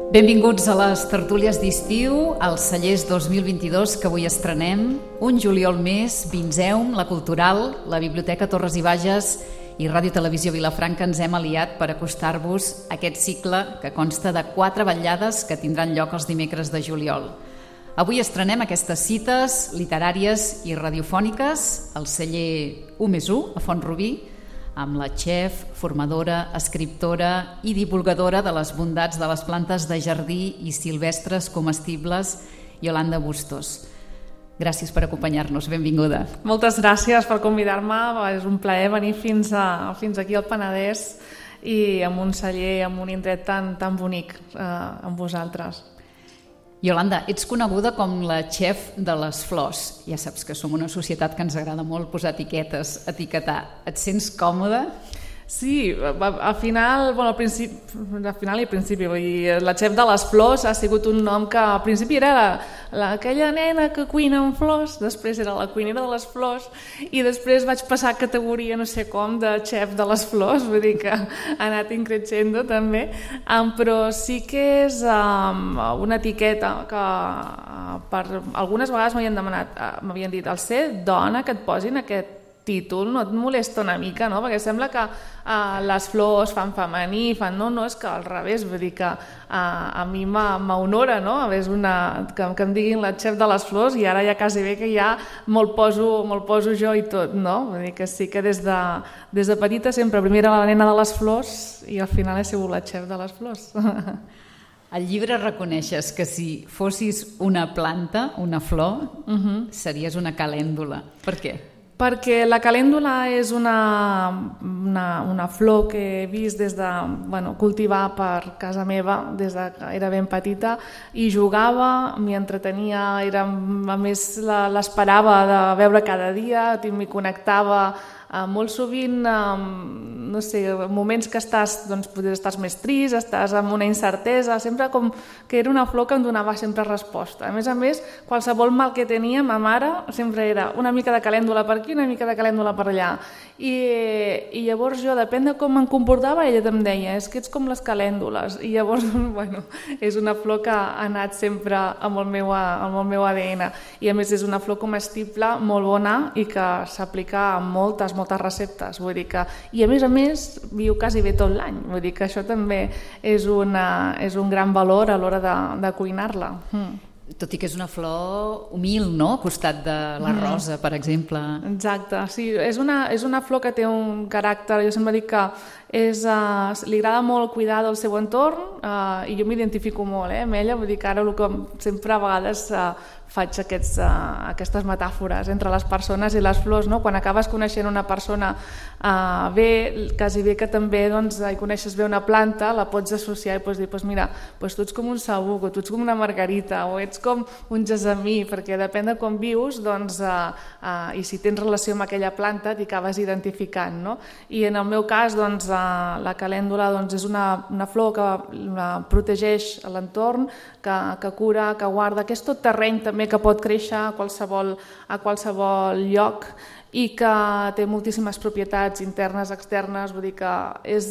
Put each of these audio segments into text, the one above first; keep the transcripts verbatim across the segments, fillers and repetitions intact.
Benvinguts a les tertúlies d'estiu, als Cellers dos mil vint-i-dos que avui estrenem. Un juliol més, Vinzeum, La Cultural, la Biblioteca Torres i Bages i Ràdio Televisió Vilafranca ens hem aliat per acostar-vos aquest cicle que consta de quatre vetllades que tindran lloc els dimecres de juliol. Avui estrenem aquestes cites literàries i radiofòniques al celler u més u, a Font-rubí, amb la xef, formadora, escriptora i divulgadora de les bondats de les plantes de jardí i silvestres comestibles, Yolanda Bustos. Gràcies per acompanyar-nos, benvinguda. Moltes gràcies per convidar-me, és un plaer venir fins, a, fins aquí al Penedès i amb un celler, amb un indret tan, tan bonic eh, amb vosaltres. Yolanda, ets coneguda com la xef de les flors. Ja saps que som una societat que ens agrada molt posar etiquetes, etiquetar. Et sents còmoda? Sí, al final, bueno, al principi, al final i al principi, vull dir, la xef de les flors ha sigut un nom que al principi era la, la, aquella nena que cuina amb flors, després era la cuinera de les flors i després vaig passar a categoria no sé com de xef de les flors, vull dir que ha anat increixendo també, um, però sí que és um, una etiqueta que uh, per algunes vegades m'havien demanat, uh, m'havien dit, al ser dona que et posin aquest títol, no et molesta una mica, no? Perquè sembla que uh, les flors fan femení, fan... No, no, és que al revés, vull dir que uh, a mi m'honora, no? Una, que, que em diguin la xef de les flors i ara ja quasi bé que ja me'l poso, me'l poso jo i tot, no? Vull dir que sí que des de, des de petita sempre primer era la nena de les flors i al final he sigut la xef de les flors. Al llibre reconeixes que si fossis una planta, una flor, uh-huh. series una calèndula. Per què? Perquè la calèndula és una, una, una flor que he vist des de, bueno, cultivar per casa meva des de que era ben petita i jugava, m'hi entretenia, era, a més l'esperava de veure cada dia, m'hi connectava. Uh, molt sovint, um, no sé, moments que estàs, doncs, potser estàs més trist, estàs amb una incertesa, sempre com que era una flor que em donava sempre resposta. A més a més, qualsevol mal que tenia, ma mare sempre era una mica de calèndula per aquí, una mica de calèndula per allà. I, i llavors jo, depèn de com em comportava, ella em deia, és que ets com les calèndules. I llavors, bueno, és una flor que ha anat sempre amb el meu, amb el meu A D N. I a més és una flor comestible molt bona i que s'aplica a moltes, moltes receptes, vull dir que, i a més a més viu quasi bé tot l'any, vull dir que això també és, una, és un gran valor a l'hora de, de cuinar-la. Mm. Tot i que és una flor humil, no? Al costat de la rosa, per exemple. Exacte, sí, és una, és una flor que té un caràcter, jo sempre dic que és, uh, li agrada molt cuidar del seu entorn uh, i jo m'identifico molt eh, amb ella, vull dir que ara el que sempre a vegades uh, faig aquests, uh, aquestes metàfores entre les persones i les flors, no? Quan acabes coneixent una persona uh, bé, quasi bé que també doncs, hi coneixes bé una planta, la pots associar i pots dir, pues mira, pues tu ets com un saüc o tu ets com una margarita o ets com un gessamí, perquè depèn de com vius doncs, uh, uh, i si tens relació amb aquella planta t'hi acabes identificant, no? I en el meu cas doncs, uh, la calèndula doncs, és una, una flor que uh, protegeix l'entorn, que, que cura, que guarda, que és tot terreny també que pot créixer a qualsevol, a qualsevol lloc i que té moltíssimes propietats internes, externes, vull dir que és,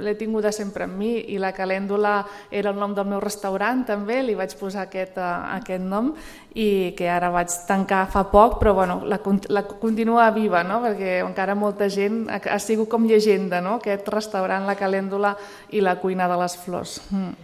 l'he tinguda sempre amb mi i la calèndula era el nom del meu restaurant també, li vaig posar aquest, aquest nom i que ara vaig tancar fa poc, però bueno, la, la continua viva, no? Perquè encara molta gent ha, ha sigut com llegenda, no? Aquest restaurant, la calèndula i la cuina de les flors. Mm.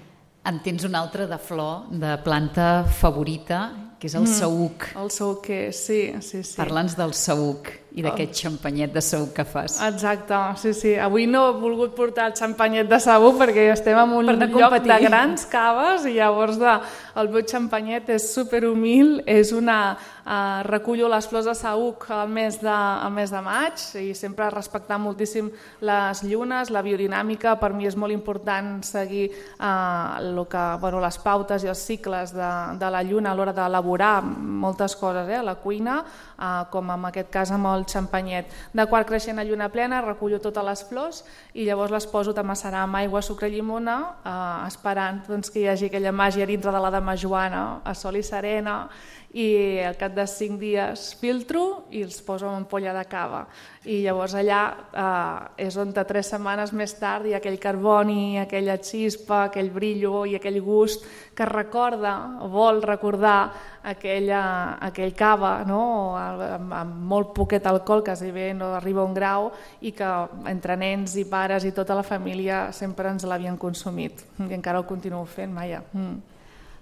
En tens una altra de flor, de planta favorita, que és el mm, saüc. El saüc, sí, sí, sí. Parla'ns del saüc i d'aquest oh. xampanyet de saüc que fas. Exacte, sí, sí. Avui no he volgut portar el xampanyet de saüc perquè estem en un lloc competir. De grans caves i llavors de, el meu xampanyet és superhumil, és una... Uh, recullo les flors de saüc al mes de, al mes de maig i sempre respectant moltíssim les llunes, la biodinàmica, per mi és molt important seguir uh, lo que, bueno, les pautes i els cicles de, de la lluna a l'hora d'elaborar moltes coses, eh, a la cuina, uh, com en aquest cas amb el xampanyet. De quart creixent a lluna plena recullo totes les flors i llavors les poso a macerar amb aigua, sucre i llimona, uh, esperant doncs, que hi hagi aquella màgia dintre de la ma Joana, a sol i serena, i al cap de cinc dies filtro i els poso en ampolla de cava. I llavors allà eh, és on tres setmanes més tard hi ha aquell carboni, aquella xispa, aquell brillo i aquell gust que recorda, o vol recordar aquella, aquell cava, no? amb, amb molt poquet alcohol, que si bé no arriba a un grau, i que entre nens i pares i tota la família sempre ens l'havien consumit. I encara el continuo fent, Maia. Mm.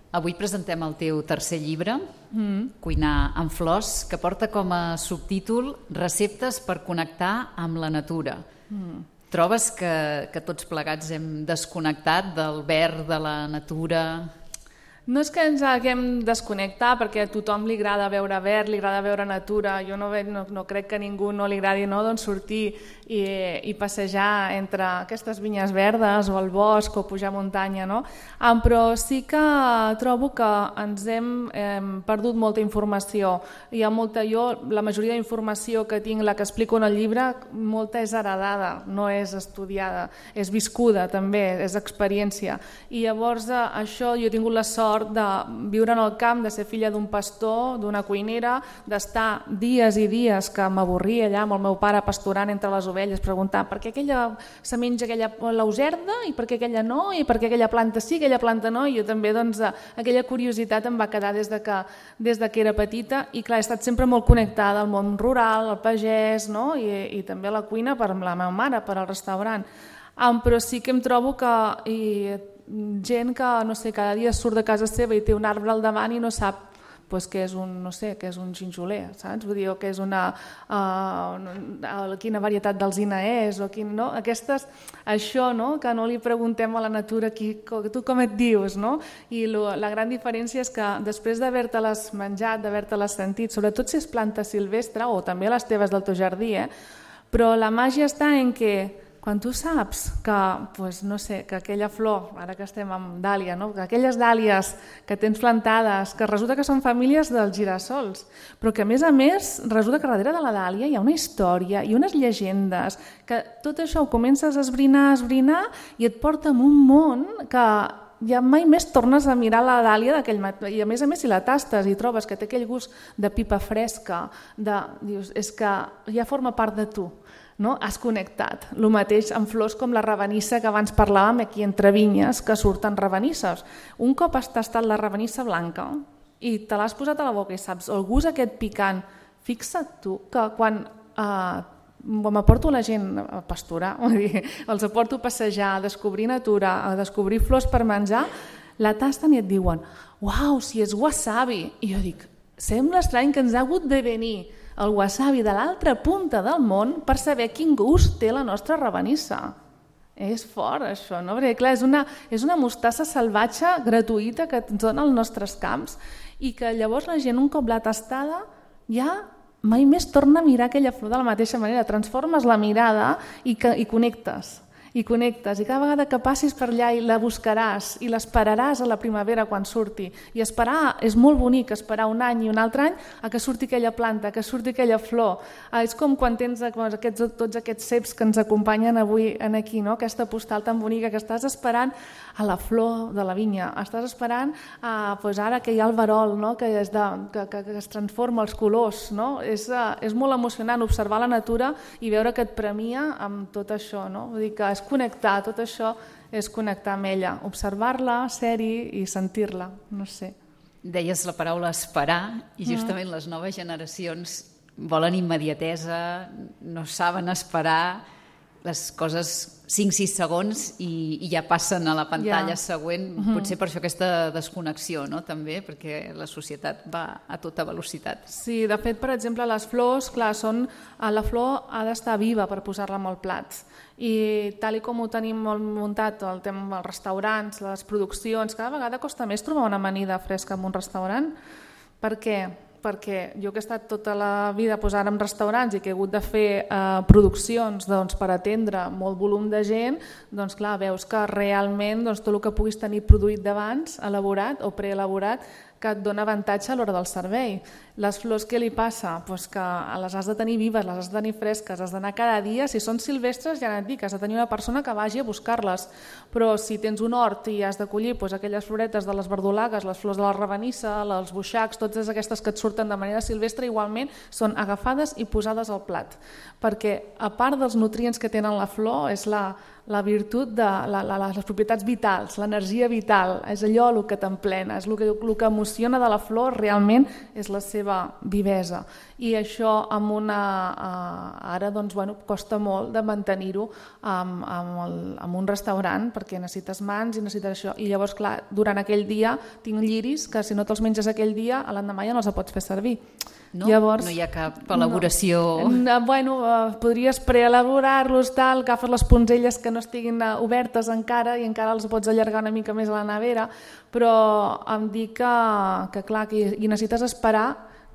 Avui presentem el teu tercer llibre, mm. Cuinar amb flors, que porta com a subtítol Receptes per connectar amb la natura. Mm. Trobes que, que tots plegats hem desconnectat del verd, de la natura? No és que ens haguem desconnectar, perquè a tothom li agrada veure verd, li agrada veure natura. Jo no, no, no crec que a ningú no li agradi, no, doncs sortir i, i passejar entre aquestes vinyes verdes o el bosc o pujar muntanya. No? Um, però sí que trobo que ens hem eh, perdut molta informació. Hi ha molta, jo, la majoria d'informació que tinc, la que explico en el llibre, molta és heredada, no és estudiada, és viscuda també, és experiència. I llavors eh, això jo he tingut la sort de viure en el camp, de ser filla d'un pastor, d'una cuinera, d'estar dies i dies que m'avorria allà amb el meu pare pasturant entre les ovelles, preguntant per què aquella se menja aquella lauserda i per què aquella no, i per què aquella planta sí, aquella planta no, i jo també, doncs, aquella curiositat em va quedar des de que, des de que era petita, i clar, he estat sempre molt connectada al món rural, al pagès, no? I, i també a la cuina per la meva mare, per al restaurant. Um, però sí que em trobo que i, gent que, no sé, cada dia surt de casa seva i té un arbre al davant i no sap pues, què és un, no sé, què és un ginjoler, saps? Vull dir, que és una, uh, quina varietat d'alzina és, o quin, no? Aquestes, això, no? Que no li preguntem a la natura qui, tu com et dius, no? I lo, la gran diferència és que després d'haver-te-les menjat, d'haver-te-les sentit, sobretot si és planta silvestre, o també les teves del teu jardí, eh? Però la màgia està en que quan tu saps que, pues, no sé, que aquella flor, ara que estem amb dàlia, no? Que aquelles dàlies que tens plantades, que resulta que són famílies dels girassols, però que a més a més resulta que darrere de la dàlia hi ha una història i unes llegendes, que tot això ho comences a esbrinar, a esbrinar i et porta en un món que ja mai més tornes a mirar la dàlia d'aquell matí. I a més a més si la tastes i trobes que té aquell gust de pipa fresca, de, dius, és que ja forma part de tu. No? Has connectat. El mateix amb flors com la ravenissa que abans parlàvem aquí entre vinyes, que surten ravenisses. Un cop has tastat la ravenissa blanca i te l'has posat a la boca i saps el gust aquest picant, fixa't tu que quan eh, m'aporto la gent a pasturar, dir, els aporto a passejar, a descobrir natura, a descobrir flors per menjar, la tasten i et diuen uau, si és wasabi. I jo dic, sembla estrany que ens ha hagut de venir el wasabi de l'altra punta del món per saber quin gust té la nostra ravenissa. És fort això, no? Perquè clar, és una, és una mostassa salvatge gratuïta que ens dona als nostres camps i que llavors la gent un cop l'ha tastada ja mai més torna a mirar aquella flor de la mateixa manera, transformes la mirada i, que, i connectes. I connectes, i cada vegada que passis per allà i la buscaràs i l'esperaràs a la primavera quan surti. I esperar és molt bonic, esperar un any i un altre any a que surti aquella planta, que surti aquella flor. Ah, és com quan tens aquests, tots aquests ceps que ens acompanyen avui aquí, no? Aquesta postal tan bonica que estàs esperant a la flor de la vinya, estàs esperant a, pues ara que hi ha el verol, no? que, és de, que, que, que es transforma els colors. No? És, és molt emocionant observar la natura i veure que et premia amb tot això. No? Vull dir que és connectar, tot això és connectar amb ella, observar-la, ser-hi i sentir-la, no sé. Deies la paraula esperar i justament mm. les noves generacions volen immediatesa, no saben esperar les coses cinc sis segons i, i ja passen a la pantalla yeah. següent. Mm-hmm. Potser per això aquesta desconnexió, no? També, perquè la societat va a tota velocitat. Sí, de fet, per exemple, les flors, clar, són, la flor ha d'estar viva per posar-la en el plat. I tal i com ho tenim molt muntat, el tema dels restaurants, les produccions, cada vegada costa més trobar una amanida fresca en un restaurant. Per què? Perquè jo que he estat tota la vida doncs, ara en restaurants i que he hagut de fer eh, produccions doncs, per atendre molt volum de gent, doncs clar, veus que realment doncs, tot el que puguis tenir produït d'abans, elaborat o preelaborat, que et dona avantatge a l'hora del servei. Les flors, què li passa? Pues que les has de tenir vives, les has de tenir fresques, has d'anar cada dia. Si són silvestres, ja et dic, has de tenir una persona que vagi a buscar-les. Però si tens un hort i has de collir pues, aquelles floretes de les verdolagues, les flors de la rabanissa, els buixacs, totes aquestes que et surten de manera silvestre, igualment són agafades i posades al plat. Perquè, a part dels nutrients que tenen la flor, és la, la virtut de la, la, les propietats vitals, l'energia vital, és allò el que t'emplena, és el que, el que emociona de la flor realment és la seva vivesa. I això amb una, uh, ara doncs, bueno, costa molt de mantenir-ho amb, amb, el, amb un restaurant perquè necessites mans i necessites això. I llavors, clar, durant aquell dia tinc lliris que si no te'ls menges aquell dia, a l'endemà ja no els pots fer servir. No? Llavors, no hi ha cap elaboració... No. Bueno, uh, podries preelaborar-los, tal, agafes les punzelles que no estiguin uh, obertes encara i encara els pots allargar una mica més a la nevera, però em dic que, que clar, que hi necessites esperar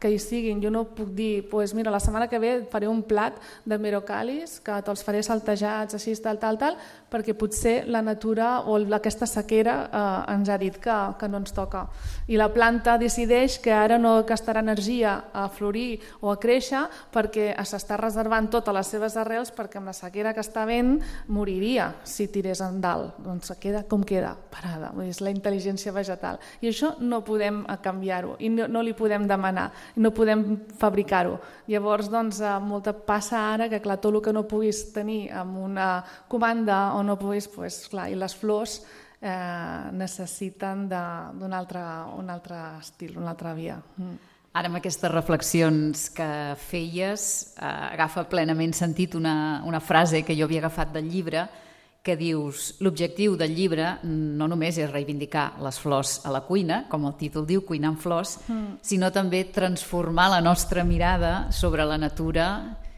que hi siguin. Jo no puc dir, pues mira, la setmana que ve faré un plat de merocalis, que te'ls faré saltejats, així, tal, tal, tal, perquè potser la natura o aquesta sequera eh, ens ha dit que, que no ens toca. I la planta decideix que ara no gastarà energia a florir o a créixer perquè s'està reservant totes les seves arrels perquè amb la sequera que està havent moriria si tirés en dalt. Doncs queda com queda, parada. És la intel·ligència vegetal. I això no podem canviar-ho i no, no li podem demanar. No podem fabricar-ho. Llavors, doncs, molta passa ara que, clar, tot el que no puguis tenir amb una comanda o no puguis, pues, clar, i les flors eh, necessiten d'un altre, un altre estil, una altra via. Mm. Ara, amb aquestes reflexions que feies, eh, agafa plenament sentit una, una frase que jo havia agafat del llibre, que dius, l'objectiu del llibre no només és reivindicar les flors a la cuina, com el títol diu, cuinar amb flors, mm. sinó també transformar la nostra mirada sobre la natura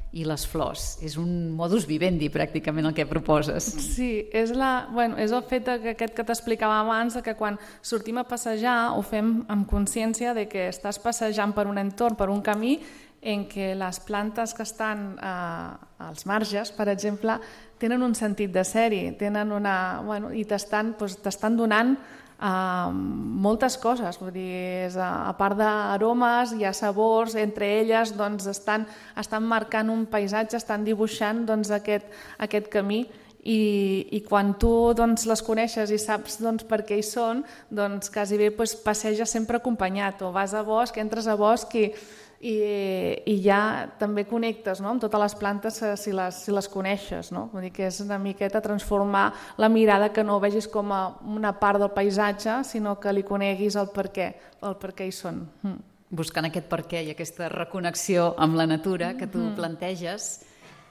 i les flors. És un modus vivendi, pràcticament, el que proposes. Sí, és, la, bueno, és el fet que aquest que t'explicava abans, que quan sortim a passejar ho fem amb consciència de que estàs passejant per un entorn, per un camí, en què les plantes que estan eh, als marges, per exemple, tenen un sentit de sèrie, tenen una, bueno, i t'estan doncs, t'estan donant eh, moltes coses. Vull dir, és, a part d'aromes, hi ha sabors, entre elles doncs, estan, estan marcant un paisatge, estan dibuixant doncs, aquest, aquest camí. I, i quan tu doncs, les coneixes i saps doncs, per què hi són, doncs quasi bé doncs, passeges sempre acompanyat, o vas a bosc, entres a bosc i I, i ja també connectes, no?, amb totes les plantes si les, si les coneixes. No? Vull dir que és una miqueta transformar la mirada, que no ho vegis com a una part del paisatge, sinó que li coneguis el per què, el per què hi són. Mm. Buscant aquest per què i aquesta reconnexió amb la natura que tu mm. planteges,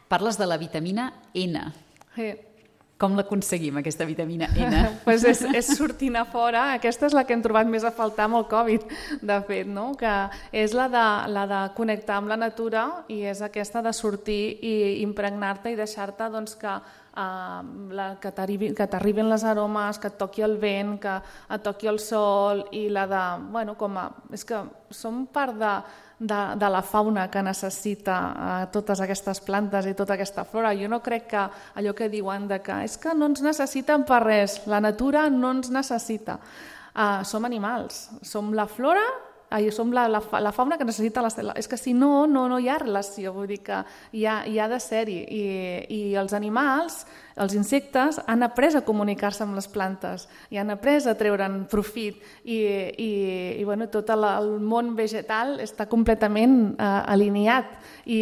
parles de la vitamina N. Sí. Com l'aconseguim, aquesta vitamina N? pues és, és sortint a fora. Aquesta és la que hem trobat més a faltar amb el Covid, de fet, no? Que és la de, la de connectar amb la natura i és aquesta de sortir i impregnar-te i deixar-te doncs, que, uh, la, que t'arribin les aromes, que et toqui el vent, que et toqui el sol i la de... Bueno, com a, és que som part de... De, de la fauna que necessita eh, totes aquestes plantes i tota aquesta flora. Jo no crec que allò que diuen de que és que no ens necessiten per res, la natura no ens necessita. Uh, som animals, som la flora, eh, som la, la, la fauna que necessita la, la... És que si no, no, no hi ha relació, vull dir que hi ha, hi ha de ser-hi. I, i els animals, els insectes, han après a comunicar-se amb les plantes i han après a treure'n profit i, i, i bueno, tot el, el món vegetal està completament eh, alineat i,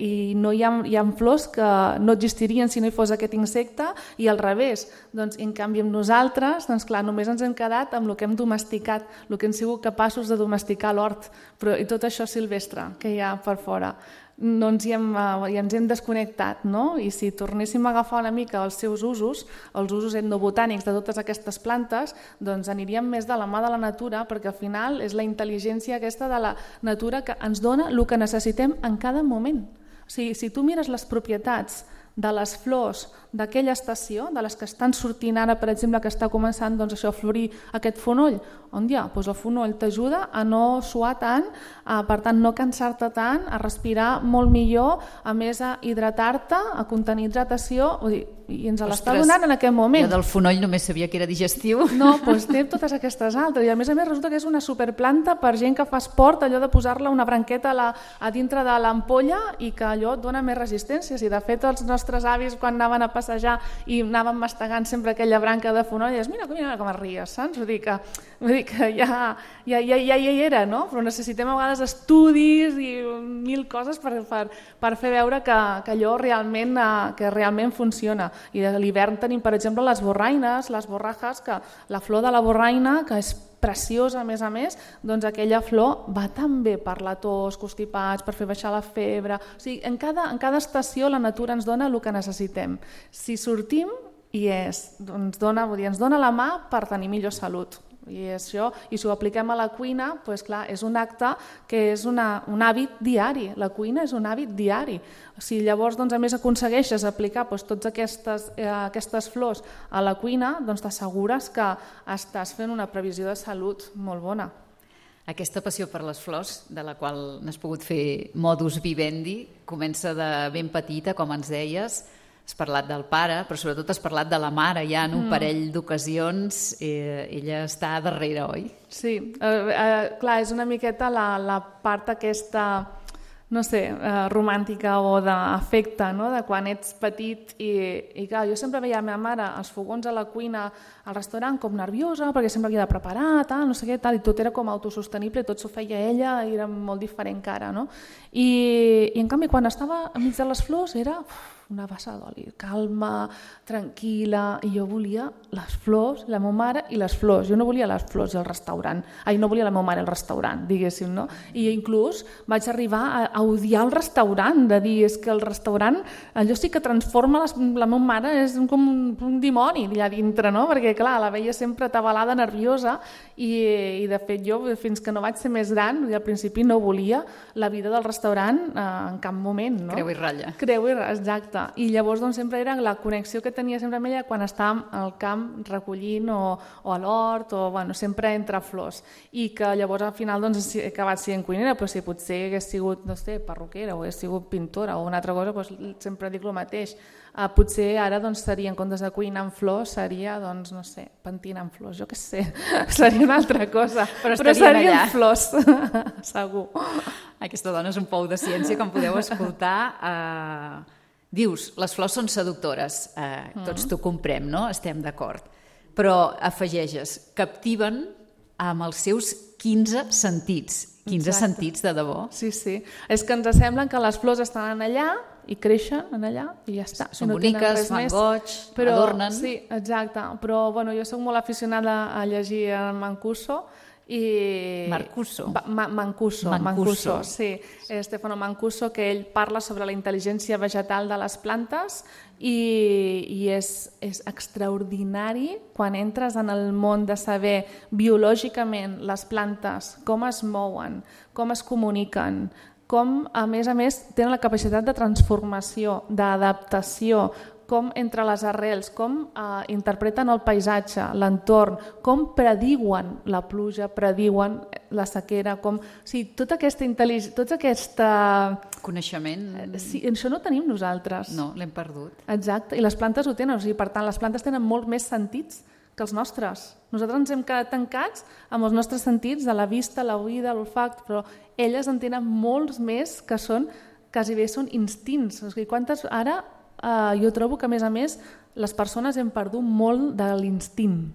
i no hi ha, hi ha flors que no existirien si no hi fos aquest insecte i al revés. Doncs, en canvi, amb nosaltres, doncs, clar, només ens hem quedat amb el que hem domesticat, el que hem sigut capaços de domesticar a l'hort, però i tot això silvestre que hi ha per fora. No ens hi hem, ja ens hem desconnectat, no? I si tornéssim a agafar una mica els seus usos, els usos etnobotànics de totes aquestes plantes, doncs aniríem més de la mà de la natura, perquè al final és la intel·ligència aquesta de la natura que ens dona el que necessitem en cada moment. O sigui, si tu mires les propietats de les flors d'aquella estació, de les que estan sortint ara, per exemple, que està començant doncs, això, a florir aquest fonoll, on ja, doncs el fonoll t'ajuda a no suar tant, a, per tant no cansar-te tant, a respirar molt millor, a més a hidratar-te, a contenir hidratació, vull dir, i ens l'està donant en aquest moment. Jo del fonoll només sabia que era digestiu. No, doncs té totes aquestes altres, i a més a més resulta que és una superplanta per gent que fa esport, allò de posar-la una branqueta a, la, a dintre de l'ampolla i que allò et dona més resistència. Si de fet els nostres avis quan anaven a passejar i anaven mastegant sempre aquella branca de fonoll, dius, mira, mira com es ries, saps? Vull dir que, vull dir que ja, ja, ja, ja hi era, no? Però necessitem a vegades estudis i mil coses per, per, per fer veure que, que allò realment, que realment funciona. I a l'hivern tenim, per exemple, les borraines, les borrajes, que la flor de la borraina, que és preciosa a més a més, doncs aquella flor va tan bé per la tos, constipats, per fer baixar la febre. O sigui, en cada, en cada estació la natura ens dona el que necessitem. Si sortim, i és, ens dona, vull dir, ens dona la mà per tenir millor salut. I, això, i si ho apliquem a la cuina, doncs clar, és un acte que és una, un hàbit diari. La cuina és un hàbit diari. Si llavors doncs, a més aconsegueixes aplicar doncs, totes aquestes, eh, aquestes flors a la cuina, doncs t'assegures que estàs fent una previsió de salut molt bona. Aquesta passió per les flors, de la qual n'has pogut fer modus vivendi, comença de ben petita, com ens deies. Has parlat del pare, però sobretot has parlat de la mare, ja en un mm. parell d'ocasions, eh, ella està darrere, oi? Sí, eh, eh, clar, és una miqueta la, la part aquesta, no sé, eh, romàntica o d'afecte, no? De quan ets petit i, i clar, jo sempre veia la meva mare als fogons a la cuina, al restaurant, com nerviosa, perquè sempre havia de preparar, tal, no sé què, tal, i tot era com autosostenible, tot s'ho feia ella, i era molt diferent que ara, no? I, i en canvi, quan estava enmig de les flors, era una bassa d'oli, calma, tranquil·la, i jo volia les flors, la meva mare i les flors. Jo no volia les flors i el restaurant. Ai, no volia la meva mare el restaurant, diguéssim, no? I inclús vaig arribar a, a odiar el restaurant, de dir, és que el restaurant, allò sí que transforma les, la meva mare, és com un, un dimoni allà dintre, no? Perquè, clar, la veia sempre atabalada, nerviosa, i, i de fet jo, fins que no vaig ser més gran, al principi no volia la vida del restaurant eh, en cap moment, no? Creu i ratlla. Creu i ratlla, exacte. I llavors doncs, sempre era la connexió que tenia sempre amb ella quan estàvem al camp recollint o, o a l'hort o bueno, sempre entre flors, i que llavors al final doncs, he acabat sent cuinera, però si potser hagués sigut, no sé, perruquera o hagués sigut pintora o una altra cosa, doncs, sempre dic el mateix. Uh, potser ara doncs, seria, en comptes de cuinar amb flors, seria, doncs, no sé, pentina amb flors, jo què sé, seria una altra cosa, però, però seria amb flors, segur. Aquesta dona és un pou de ciència, com podeu escoltar. Uh... Dius, les flors són seductores, eh, tots t'ho comprem, no? Estem d'acord. Però afegeixes, captiven amb els seus quinze sentits. quinze Exacte. Sentits, de debò. Sí, sí. És que ens sembla que les flors estan allà i creixen allà i ja està. Són no boniques, fan goig, però, adornen. Sí, exacte. Però bueno, jo soc molt aficionada a llegir el Mancuso, i Marcuso. Ma Mancuso, Mancuso, sí, Stefano Mancuso, que ell parla sobre la intel·ligència vegetal de les plantes i, i és, és extraordinari quan entres en el món de saber biològicament les plantes, com es mouen, com es comuniquen, com a més a més tenen la capacitat de transformació, d'adaptació, com entre les arrels, com eh, interpreten el paisatge, l'entorn, com prediuen la pluja, prediuen la sequera, com... O sigui, tota aquesta intel·ligència, tota aquesta... Coneixement... Sí, això no tenim nosaltres. No, l'hem perdut. Exacte, i les plantes ho tenen, o sigui, per tant, les plantes tenen molt més sentits que els nostres. Nosaltres ens hem quedat tancats amb els nostres sentits, de la vista, l'oïda, l'olfacte, però elles en tenen molts més que són, quasi bé són instints. O sigui, quantes... Ara... Uh, jo trobo que, a més a més, les persones hem perdut molt de l'instint.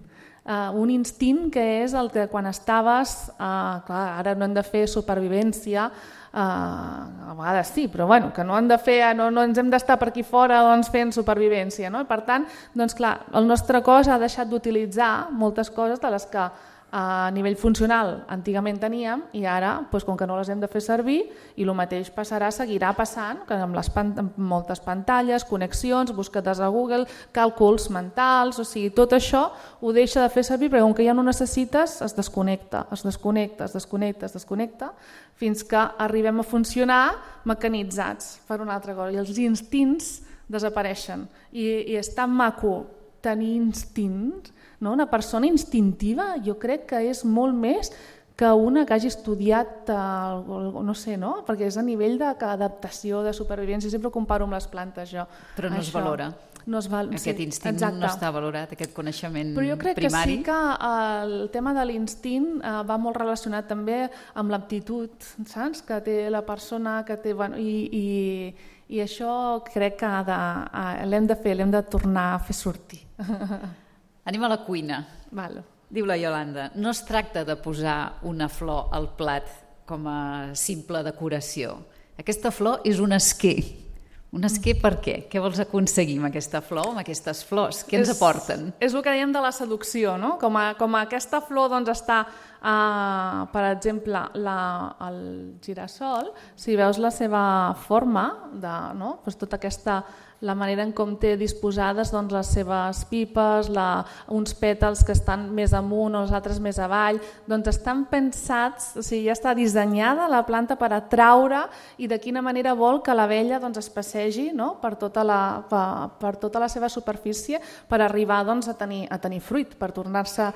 Uh, un instint que és el que quan estaves, uh, clar, ara no hem de fer supervivència, uh, a vegades sí, però bueno, que no, hem de fer, no, no ens hem d'estar per aquí fora doncs, fent supervivència. No? Per tant, doncs, clar, el nostre cos ha deixat d'utilitzar moltes coses de les que a nivell funcional antigament teníem i ara, doncs, com que no les hem de fer servir, i el mateix passarà, seguirà passant, que amb, les pan amb moltes pantalles, connexions, buscades a Google, càlculs mentals, o sigui, tot això ho deixa de fer servir perquè com que ja no necessites, es desconnecta, es desconnecta, es desconnecta, es desconnecta, fins que arribem a funcionar mecanitzats per una altra cosa. I els instints desapareixen. I, i és tan maco tenir instints, no? Una persona instintiva jo crec que és molt més que una que hagi estudiat, eh, no sé, no? Perquè és a nivell d'adaptació, de supervivència, sempre ho comparo amb les plantes jo. Però no es valora. No es val... Aquest sí, instint exacte. No està valorat, aquest coneixement primari. Però jo crec primari. que sí que el tema de l'instint eh, va molt relacionat també amb l'aptitud, saps? Que té la persona, que té... Bueno, i, i, i això crec que l'hem de fer, l'hem de tornar a fer sortir. Anem a la cuina. Val. Diu la Iolanda, no es tracta de posar una flor al plat com a simple decoració. Aquesta flor és un esquer. Un esquer per què? Què vols aconseguir amb aquesta flor, amb aquestes flors? Què ens és, aporten? És el que dèiem de la seducció, no? Com, a, com a aquesta flor doncs, està, uh, per exemple, la, el girassol, si veus la seva forma, de, no? Pues tota aquesta... la manera en com té disposades doncs, les seves pipes, la, uns pètals que estan més amunt o els altres més avall, doncs estan pensats, o sigui, ja està dissenyada la planta per atraure i de quina manera vol que l'abella doncs, es passegi, no? per, tota la, per, per tota la seva superfície per arribar doncs, a, tenir, a tenir fruit, per tornar-se a,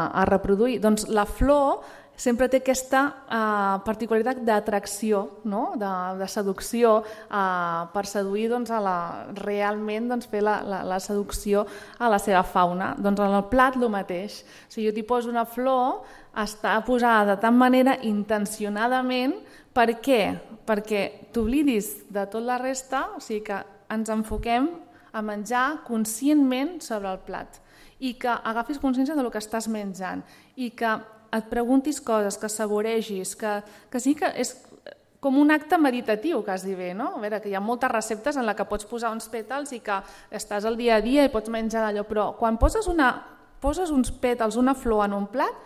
a reproduir. Doncs la flor sempre té aquesta uh, particularitat d'atracció, no? de, de seducció, uh, per seduir doncs, a la, realment doncs, fer la, la, la seducció a la seva fauna. Doncs en el plat el mateix. Si jo t'hi poso una flor, està posada de tal manera intencionadament. Per què? Perquè t'oblidis de tot la resta, o sigui que ens enfoquem a menjar conscientment sobre el plat i que agafis consciència del que estàs menjant i que et preguntis coses, que saboregis, que, que sí que és com un acte meditatiu, quasi bé, no? A veure, que hi ha moltes receptes en les que pots posar uns pètals i que estàs al dia a dia i pots menjar d'allò, però quan poses, una, poses uns pètals, una flor en un plat,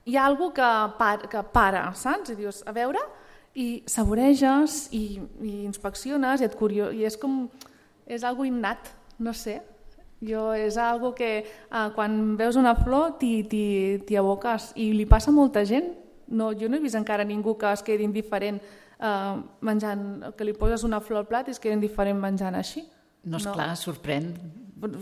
hi ha alguna que, par, que para, saps? I dius, a veure, i saboreges i, i inspecciones i, et curio, i és com, és algo innat, no sé. Jo, és algo que eh, quan veus una flor t'hi aboques i li passa a molta gent. No, jo no he vist encara ningú que es quedi indiferent eh, menjant, que li poses una flor al plat i es quedi indiferent menjant així. No, esclar, no. Sorprèn.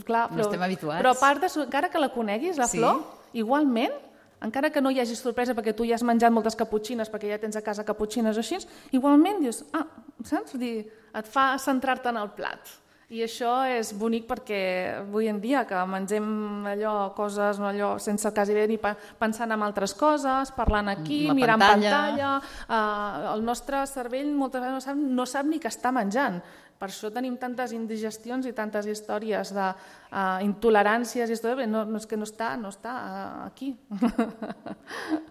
Clar, però, no estem habituats. Però a part, de, encara que la coneguis, la sí. flor, igualment, encara que no hi hagi sorpresa perquè tu ja has menjat moltes caputxines, perquè ja tens a casa caputxines o així, igualment dius, ah, saps? Et fa centrar-te en el plat. I això és bonic perquè avui en dia que mengem allò, coses no, allò, sense quasi bé ni pensant en altres coses, parlant aquí, la mirant pantalla, pantalla uh, el nostre cervell moltes vegades no sap, no sap ni que està menjant. Per això tenim tantes indigestions i tantes històries d'intoleràncies, uh, no, no, és que no està, no està uh, aquí.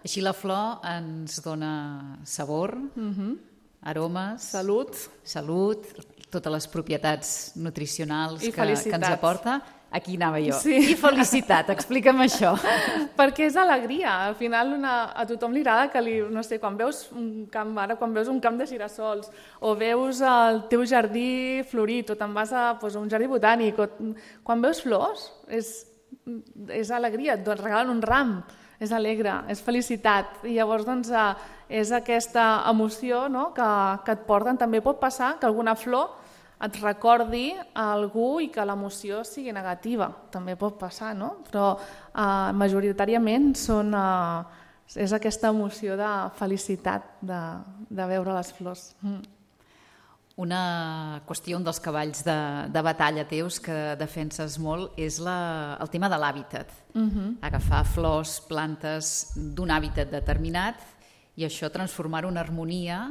Així la flor ens dona sabor, uh-huh. aromes, salut, salut, totes les propietats nutricionals que, que ens aporta. Aquí anava jo. Sí. I felicitat, explica'm això. Perquè és alegria. Al final una, a tothom li agrada que li, no sé, quan veus un camp, ara quan veus un camp de girassols o veus el teu jardí florit o te'n vas a pues, un jardí botànic, o, quan veus flors és, és alegria, et regalen un ram. És alegre, és felicitat i llavors doncs, és aquesta emoció, no? que, que et porten. També pot passar que alguna flor et recordi a algú i que l'emoció sigui negativa, també pot passar, no? Però eh, majoritàriament són, eh, és aquesta emoció de felicitat de, de veure les flors. Mm. Una qüestió, un dels cavalls de, de batalla teus que defenses molt és la, el tema de l'hàbitat. Uh-huh. Agafar flors, plantes d'un hàbitat determinat i això transformar-ho en harmonia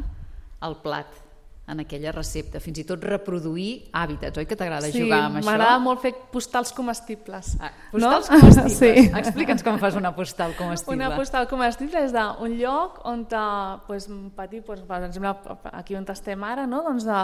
al plat, en aquella recepta, fins i tot reproduir hàbitats, oi que t'agrada sí, jugar amb això? Sí, m'agrada molt fer postals comestibles. Ah, postals no? comestibles? Sí. Explica'ns com fas una postal comestible. Una postal comestible és d'un lloc on, pues, petit, pues, per exemple, aquí on estem ara, no? doncs, de,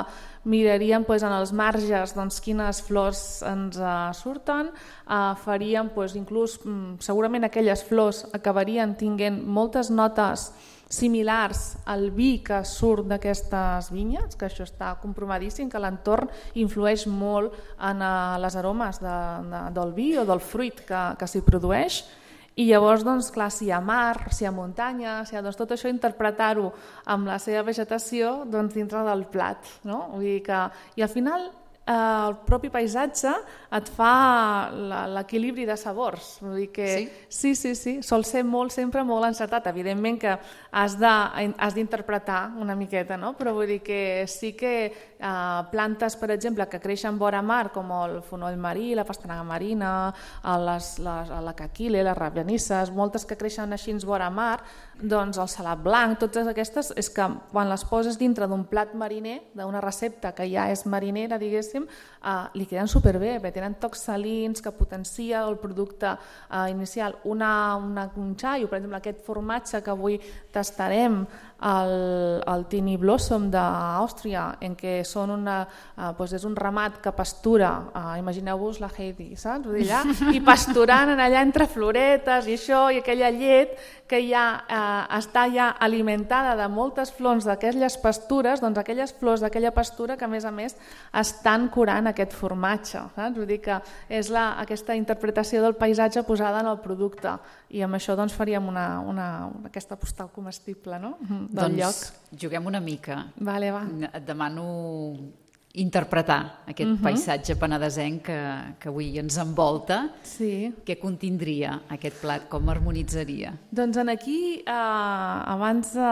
miraríem pues, en els marges doncs, quines flors ens uh, surten, uh, faríem pues, inclús, um, segurament aquelles flors acabarien tinguent moltes notes similars al vi que surt d'aquestes vinyes, que això està compromadíssim, que l'entorn influeix molt en uh, les aromes de, de, del vi o del fruit que, que s'hi produeix. I llavors, doncs, clar, si hi ha mar, si hi ha muntanya, si hi ha, doncs, tot això interpretar-ho amb la seva vegetació doncs, dintre del plat. No? Vull dir que, i al final eh, el propi paisatge et fa l'equilibri de sabors. Vull dir que sí? sí, sí, sí, sol ser molt, sempre molt encertat. Evidentment que has d'interpretar una miqueta, no? Però vull dir que sí que eh, plantes, per exemple, que creixen vora mar, com el fonoll marí, la pastanaga marina, les, les, la caquile, les rabianisses, moltes que creixen així vora mar, doncs el salat blanc, totes aquestes, és que quan les poses dintre d'un plat mariner, d'una recepta que ja és marinera, diguéssim, eh, li queden superbé, perquè tenen tocs salins que potencia el producte eh, inicial. Una, una, un xai, per exemple, aquest formatge que avui tastarem, el, el Tini Blossom d'Àustria, en què són una, eh, doncs és un ramat que pastura, eh, imagineu-vos la Heidi, saps? Vull dir, allà, i pasturant allà entre floretes i això, i aquella llet que ja eh, està ja alimentada de moltes flors d'aquelles pastures, doncs aquelles flors d'aquella pastura que a més a més estan curant aquest formatge, saps? Vull dir que és la, aquesta interpretació del paisatge posada en el producte, i amb això doncs faríem una, una, aquesta postal comestible, no? Del doncs lloc. Juguem una mica. Vale, va. Et demano interpretar aquest uh-huh. paisatge penedesenc que, que avui ens envolta. Sí. Què contindria aquest plat? Com harmonitzaria? Doncs en aquí, eh, abans eh,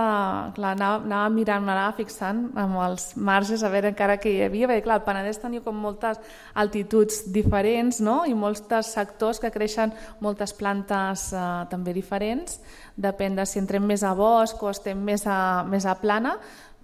clar, anava, anava mirant, m'anava fixant amb els marges a veure encara què hi havia, perquè clar, el Penedès tenia com moltes altituds diferents, no? I molts sectors que creixen moltes plantes eh, també diferents, depèn de si entrem més a bosc o estem més a, més a plana,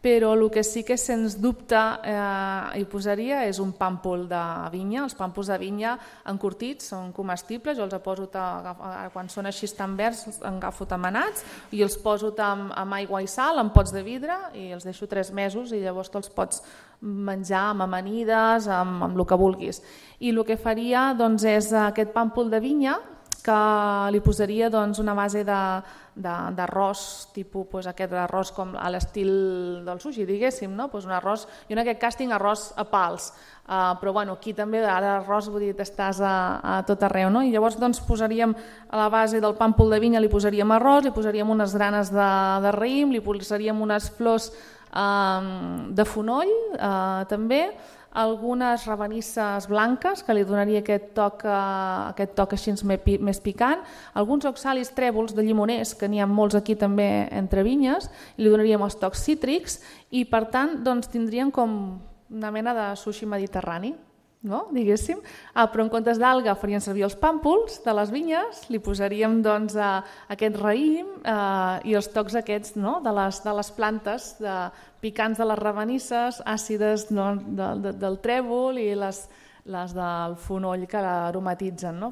però el que sí que sens dubte eh, hi posaria és un pàmpol de vinya. Els pàmpols de vinya encurtits són comestibles, jo els poso quan són així tan verds, els agafo tamanats i els poso amb, amb aigua i sal en pots de vidre i els deixo tres mesos i llavors te'ls pots menjar amb amanides, amb, amb el que vulguis. I el que faria doncs, és aquest pàmpol de vinya, que li posaria doncs, una base d'arròs, tipus pues, aquest arròs com a l'estil del sushi, diguéssim, no? Pues un arròs, jo en aquest cas tinc arròs a pals, uh, però bueno, aquí també ara arròs vull dir, estàs a, a tot arreu, no? I llavors doncs, posaríem a la base del pàmpol de vinya, li posaríem arròs, li posaríem unes granes de, de raïm, li posaríem unes flors uh, de fonoll uh, també, algunes rabanisses blanques que li donaria aquest toc, uh, aquest toc així més picant, alguns oxalis trèvols de llimoners, que n'hi ha molts aquí també entre vinyes, li donaríem els tocs cítrics i per tant doncs, tindríem com una mena de sushi mediterrani, no? Diguéssim, ah, però en comptes d'alga farien servir els pàmpols de les vinyes, li posaríem doncs, a, aquest raïm eh, i els tocs aquests, no? de, les, de les plantes de, picants de les rabanisses, àcides, no? de, de, del trèvol i les, les del fonoll que l'aromatitzen. No?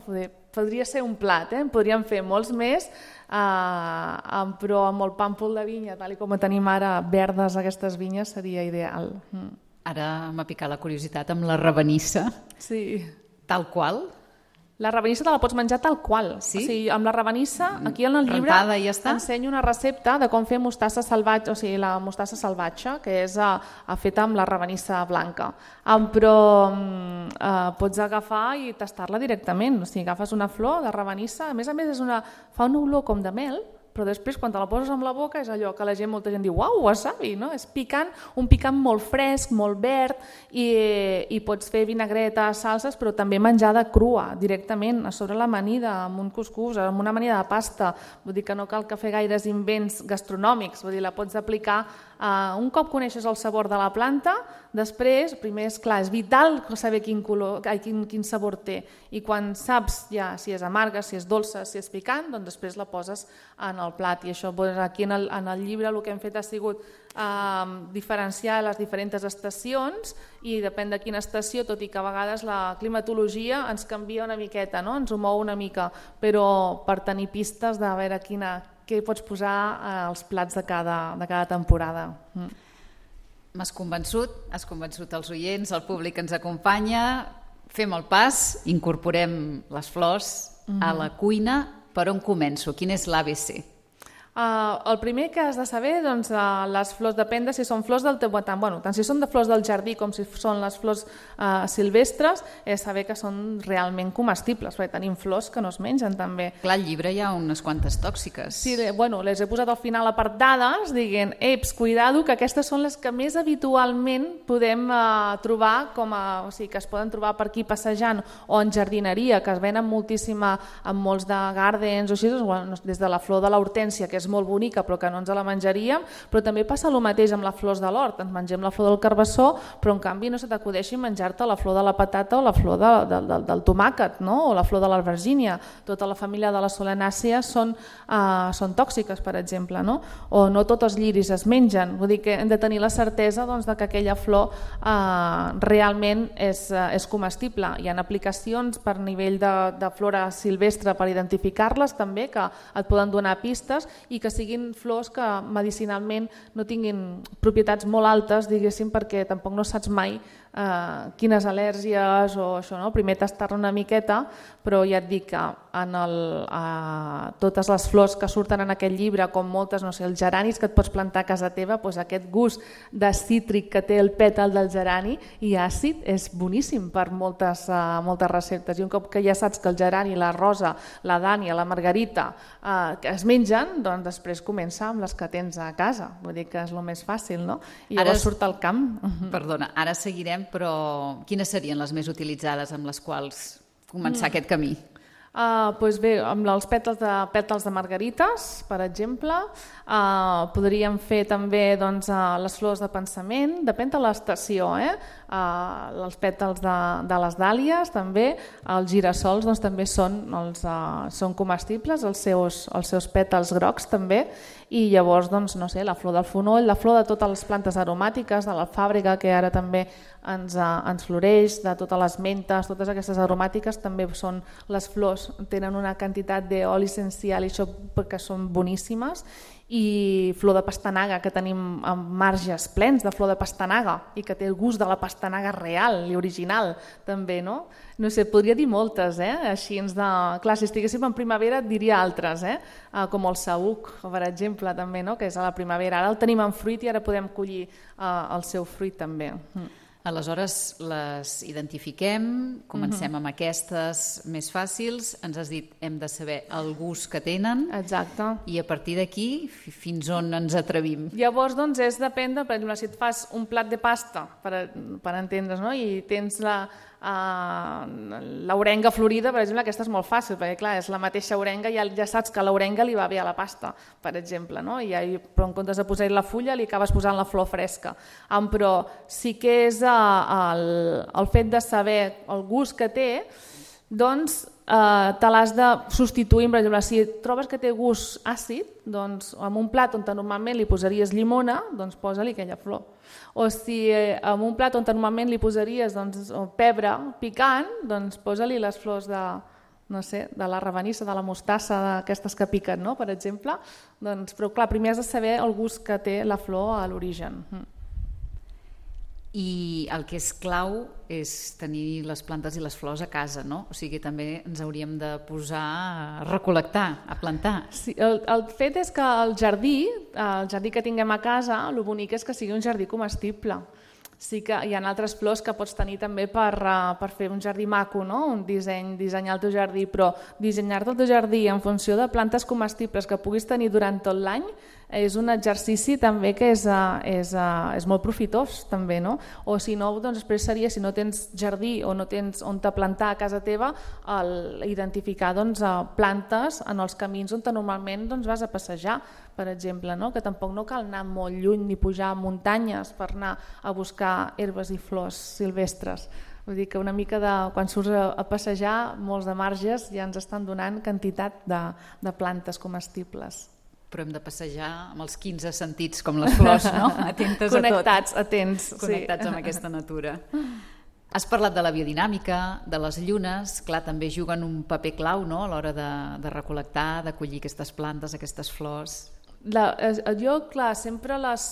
Podria ser un plat, eh? Podríem fer molts més, eh, però amb el pàmpol de vinya, tal com tenim ara verdes aquestes vinyes, seria ideal. Mm. Ara m'ha picat la curiositat amb la rabanissa. Sí. Tal qual? La rabanissa te la pots menjar tal qual. Sí? O sigui, amb la rabanissa, aquí en el llibre rentada, ja està? ensenyo una recepta de com fer mostassa salvatge, o sigui, la mostassa salvatge, que és a, a feta amb la rabanissa blanca. Um, però um, uh, pots agafar i tastar-la directament. O sigui, agafes una flor de rabanissa, a més a més és una, fa una olor com de mel, però després quan te la poses amb la boca és allò que la gent, molta gent diu uau, wasabi, no? És picant, un picant molt fresc, molt verd i, i pots fer vinagreta, salses, però també menjada crua directament a sobre l'amanida, amb un cuscús, amb una amanida de pasta. Vull dir que no cal que fer gaires invents gastronòmics, vull dir, la pots aplicar uh, un cop coneixes el sabor de la planta, després, primer és clar, és vital saber quin, color, quin, quin sabor té i quan saps ja si és amarga, si és dolça, si és picant, doncs després la poses en el plat i això doncs, aquí en el, en el llibre el que hem fet ha sigut eh, diferenciar les diferents estacions i depèn de quina estació, tot i que a vegades la climatologia ens canvia una miqueta, no? Ens ho mou una mica, però per tenir pistes de veure quina, què pots posar als plats de cada, de cada temporada. Mm. M'has convençut, has convençut els oients, el públic que ens acompanya. Fem el pas, incorporem les flors mm-hmm. a la cuina. Per on començo? Quin és l'A B C? Uh, el primer que has de saber, doncs, uh, les flors, depèn de si són flors del teu voltant, bueno, tant si són de flors del jardí com si són les flors uh, silvestres, és saber que són realment comestibles, perquè tenim flors que no es mengen també. Clar, al llibre hi ha unes quantes tòxiques. Sí, bueno, les he posat al final apartades, dient, eps, cuidado, que aquestes són les que més habitualment podem uh, trobar, com a, o sigui, que es poden trobar per aquí passejant o en jardineria, que es venen moltíssima en molts de gardens o així, bueno, des de la flor de l'hortènsia, que és molt bonica però que no ens la menjaríem, però també passa el mateix amb les flors de l'hort, ens mengem la flor del carbassó, però en canvi no se t'acudeixi menjar-te la flor de la patata o la flor de, de, de, del tomàquet, no? O la flor de l'albergínia. Tota la família de les solanàcies són, uh, són tòxiques, per exemple, no? O no tots els lliris es mengen, vull dir que hem de tenir la certesa, doncs, de que aquella flor uh, realment és, uh, és comestible. Hi ha aplicacions per nivell de, de flora silvestre per identificar-les també, que et poden donar pistes, i que siguin flors que medicinalment no tinguin propietats molt altes, diguéssim, perquè tampoc no saps mai eh, quines al·lèrgies o això, no? Primer tastar-ne una miqueta, però ja et dic que en el, eh, totes les flors que surten en aquest llibre, com moltes, no sé, els geranis que et pots plantar a casa teva, doncs aquest gust de cítric que té el pètal del gerani i àcid és boníssim per moltes, eh, moltes receptes. I un cop que ja saps que el gerani, la rosa, la dània, la margarita eh, que es mengen, doncs després comença amb les que tens a casa. Vull dir que és el més fàcil, no? I llavors ara, surt al camp. Perdona, ara seguirem, però quines serien les més utilitzades amb les quals començar mm. aquest camí? Uh, doncs bé, amb els pètals de, pètals de margarites, per exemple, uh, podríem fer també, doncs, uh, les flors de pensament, depèn de l'estació, eh? Uh, els pètals de, de les dàlies també, els girassols doncs, també són, els, uh, són comestibles, els seus, els seus pètals grocs també, i llavors doncs, no sé, la flor del fonoll, la flor de totes les plantes aromàtiques, de l'alfàbrega, que ara també ens, uh, ens floreix, de totes les mentes, totes aquestes aromàtiques també són les flors, tenen una quantitat d'oli essencial i això perquè són boníssimes, i flor de pastanaga, que tenim marges plens de flor de pastanaga i que té el gust de la pastanaga real i original també, no? No sé, podria dir moltes, eh? Així ens de... Clar, si estiguéssim en primavera et diria altres, eh? Uh, com el saüc, per exemple, també, no? Que és a la primavera. Ara el tenim en fruit i ara podem collir uh, el seu fruit també. Mm. Aleshores les identifiquem, comencem mm-hmm. amb aquestes més fàcils, ens has dit hem de saber el gust que tenen. Exacte. I a partir d'aquí fins on ens atrevim. Llavors doncs és depèn de, per exemple, si et fas un plat de pasta, per, per entendre's, no? I tens la Uh, l'orenga florida, per exemple, aquesta és molt fàcil perquè clar, és la mateixa orenga i ja, ja saps que l'orenga li va bé a la pasta, per exemple, no? I ja, però en comptes de posar-hi la fulla li acabes posant la flor fresca. Um, però sí que és uh, el, el fet de saber el gust que té, doncs Uh, te l'has de substituir, per exemple, si trobes que té gust àcid, doncs en un plat on normalment li posaries llimona, doncs posa-li aquella flor. O si eh, en un plat on normalment li posaries doncs, pebre picant, doncs posa-li les flors de, no sé, de la rabanissa, de la mostassa, d'aquestes que piquen, no? Per exemple. Doncs, però clar, primer has de saber el gust que té la flor a l'origen. I el que és clau és tenir les plantes i les flors a casa, no? O sigui, també ens hauríem de posar a recol·lectar, a plantar. Sí, el, el fet és que el jardí, el jardí que tinguem a casa, el bonic és que sigui un jardí comestible. Sí que hi ha altres flors que pots tenir també per, uh, per fer un jardí maco, no? Un disseny, dissenyar el teu jardí, però dissenyar-te el teu jardí en funció de plantes comestibles que puguis tenir durant tot l'any és un exercici també que és, uh, és, uh, és molt profitós també, no? O si no, doncs després seria, si no tens jardí o no tens on te plantar a casa teva, el, identificar doncs, uh, plantes en els camins on normalment doncs, vas a passejar, per exemple, no? Que tampoc no cal anar molt lluny ni pujar a muntanyes per anar a buscar herbes i flors silvestres. Vull dir que una mica de, quan surts a, a passejar, molts de marges ja ens estan donant quantitat de, de plantes comestibles. Però hem de passejar amb els quinze sentits com les flors, no? Atentes Connectats, a tot. atents. Connectats sí. amb aquesta natura. Has parlat de la biodinàmica, de les llunes, clar, també juguen un paper clau, no? A l'hora de, de recol·lectar, de collir aquestes plantes, aquestes flors. La, jo, clar, sempre les...